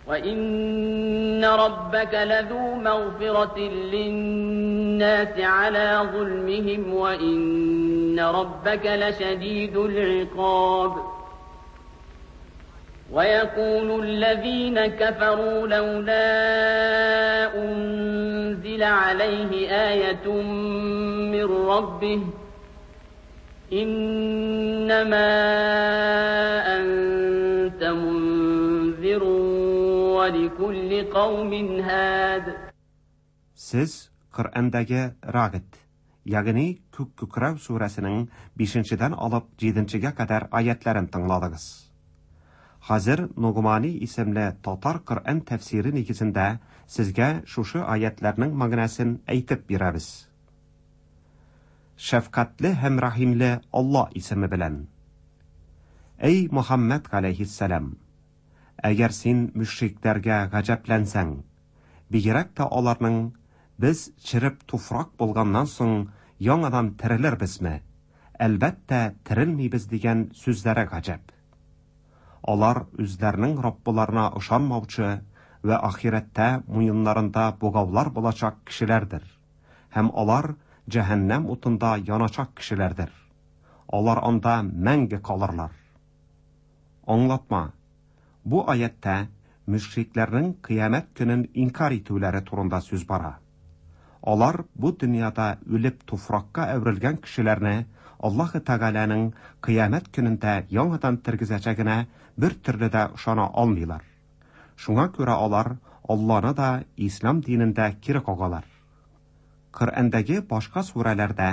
وإن ربك لذو مغفرة للناس على ظلمهم وإن ربك لشديد العقاب ويقول الذين كفروا لولا أنزل عليه آية من ربه إنما أنت منذر ولكل قوم هاد Сез Коръәндәге Рагд, ягъни Күк күкрәү сүрәсенең 5-дән алып 7-гә кадәр аятларын тыңладыгыз. Хәзер Нугмани исемле татар Коръән тәфсире нигезендә сезгә шушы аятларның мәгънәсен әйтеп бирәбез. Шәфкатьле һәм рәхимле Алла исеме белән. Эй Мухаммад галәйһиссәлам, әгәр син мөшрикләргә гаҗәпләнсәң, бигрәк тә аларның без череп туфрак булганнан соң яңадан терелербезме? Әлбәттә, терелмибез дигән сүзләре гаҗәп. Алар үзләренең Раббыларына ышанмаучы вә ахирәттә муеннарында богаулар булачак кешеләрдер. Һәм алар җәһәннәм утында яначак кешеләрдер. Алар анда мәңге калырлар. Аңлатма. Бу аятьтә мөшрикләрнең кыямәт көнен инкар итүләре турында сүз бара. Алар бу дөньяда үлеп туфракка әверелгән кешеләрне Аллаһы Тәгаләнең кыямәт көнендә яңадан тергезәчәгенә бер төрле дә ышана алмыйлар. Шуңа күрә алар Алланы да, ислам динен дә кире кагалар. Коръәндәге башка сүрәләрдә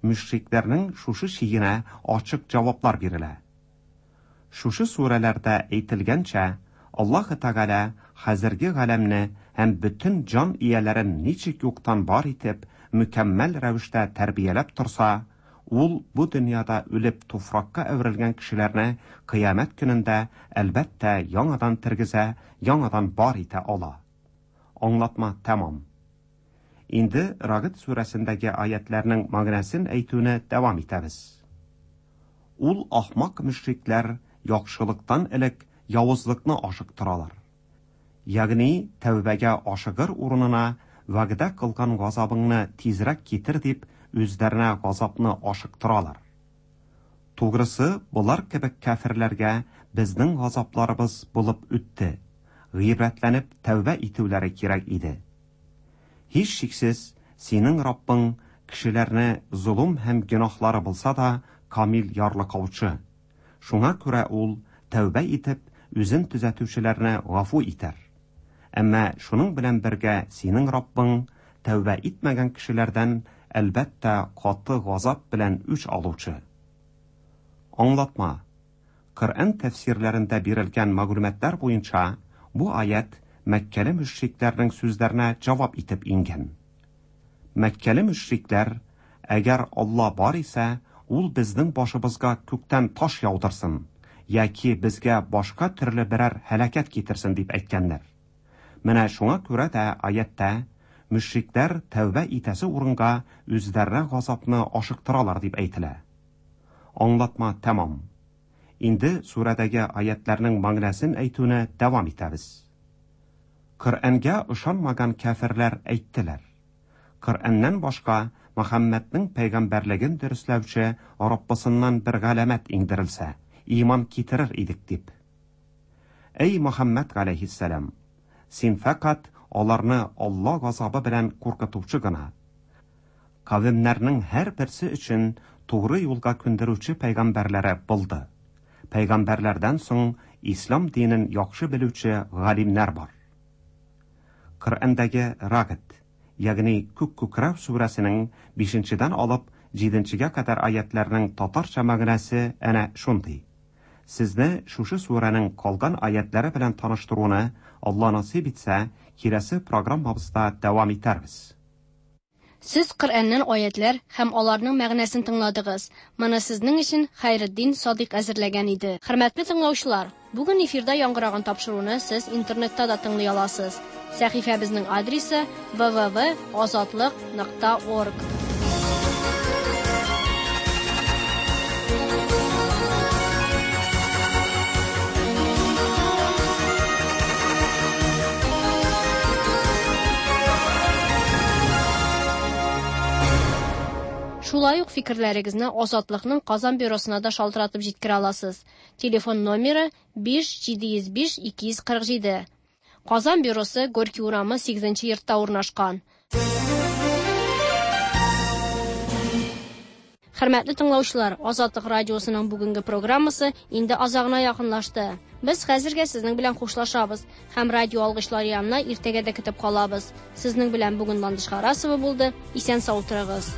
мөшрикләрнең шушы шигенә ачык җаваплар бирелә. Шушы сүрәләрдә әйтелгәнчә, Аллаһы Тәгалә хәзерге галәмне һәм бөтен җан ияләрен ничек юктан бар итеп, мөкәммәл рәвештә тәрбияләп торса, ул бу дөньяда үлеп туфракка әверелгән кешеләрне кыямәт көнендә, әлбәттә, яңадан тергезә, яңадан бар итә ала. Аңлатма тәмам. Инде Рагыд сүрәсендәге аятьләрнең мәгънәсен әйтүне дәвам итәбез. Ул ахмак мөшрикләр яхшылыктан элек явызлыкны ашыктыралар. Ягъни тәүбәгә ашыгыр урынына вәгъдә кылган газабыңны тизрәк китер дип үзләренә газапны ашыктыралар. Тугрысы, болар кебек кәферләргә безнең газапларыбыз булып үтте. Гыйбрәтләнеп тәүбә итүләре кирәк иде. Һичшиксез, синең Раббың кешеләрне золым һәм гөнаһлары булса да камил ярлыкаучы. Шуңа күрә ул тәүбә итеп, үзен төзәтүчеләрне гафу итәр. Әмма шуның белән бергә синең Раббың тәүбә итмәгән кешеләрдән әлбәттә каты газап белән үч алучы. Аңлатма. Коръән тәфсирләрендә бирелгән мәгълүматлар буенча, бу аять Мәккәле мөшрикләрнең сүзләренә җавап итеп иңгән. Мәккәле мөшрикләр, әгәр Алла бар исә, ул безнең башыбызга күктән таш яудырсын, яки безгә башка төрле берәр һәлакәт китерсен дип әйткәннәр. Менә шуңа күрә дә аятьтә мөшрикләр тәүбә итәсе урынга үзләренә газапны ашыктыралар дип әйтелә. Аңлатма тәмам. Инде сүрәдәге аятьләрнең мәгънәсен әйтүне дәвам итәбез. Коръәнгә ышанмаган кәферләр әйттеләр. Коръәннән башка Мөхәммәднең пәйгамбәрлеген дөресләүче Раббысыннан бер галәмәт иңдерелсә, иман китерер идек дип. Әй Мөхәммәд галәйһиссәлам, син фәкать аларны Алла газабы белән куркытучы гына. Кавемнәрнең һәрберсе өчен тугры юлга күндерүче пәйгамбәрләре булды. Пәйгамбәрләрдән соң ислам динен яхшы белүче галимнәр бар. Коръәндәге Рагд, ягъни Күк күкрәү сүрәсенең 5-дән алып 7-гә кадәр аятларның татарча мәгънәсе әнә шундый. Сезне шушы сүрәнең калган аятлары белән таныштыруны Алла насыйп итсә, киләсе программабызда дәвам итәрбез. Сез Коръәннән аятлар һәм аларның мәгънәсен тыңладыгыз. Моны сезнең өчен Хәйретдин Садыйк әзерләгән иде. Хөрмәтле тыңлаучылар, бүген эфирда яңгыраган тапшыруны сез интернетта да тыңлый аласыз. Сәхифәбезнең адресы www.azatliq.org. Шулай ук фикерләрегезне Азатлыкның Казан бюросына да шалтыратып җиткерә аласыз. Телефон номеры 5 705 247. Казан бюросы Горький урамы 8 йортта урнашкан. Хөрмәтле тыңлаучылар, Азатлык радиосының бүгенге программасы инде азагына якынлашты. Без хәзергә сезнең белән хушлашабыз һәм радио алгычлар янына иртәгә дә көтеп калабыз. Сезнең белән бүген Ландыш Харасова булды. Исән сау торыгыз.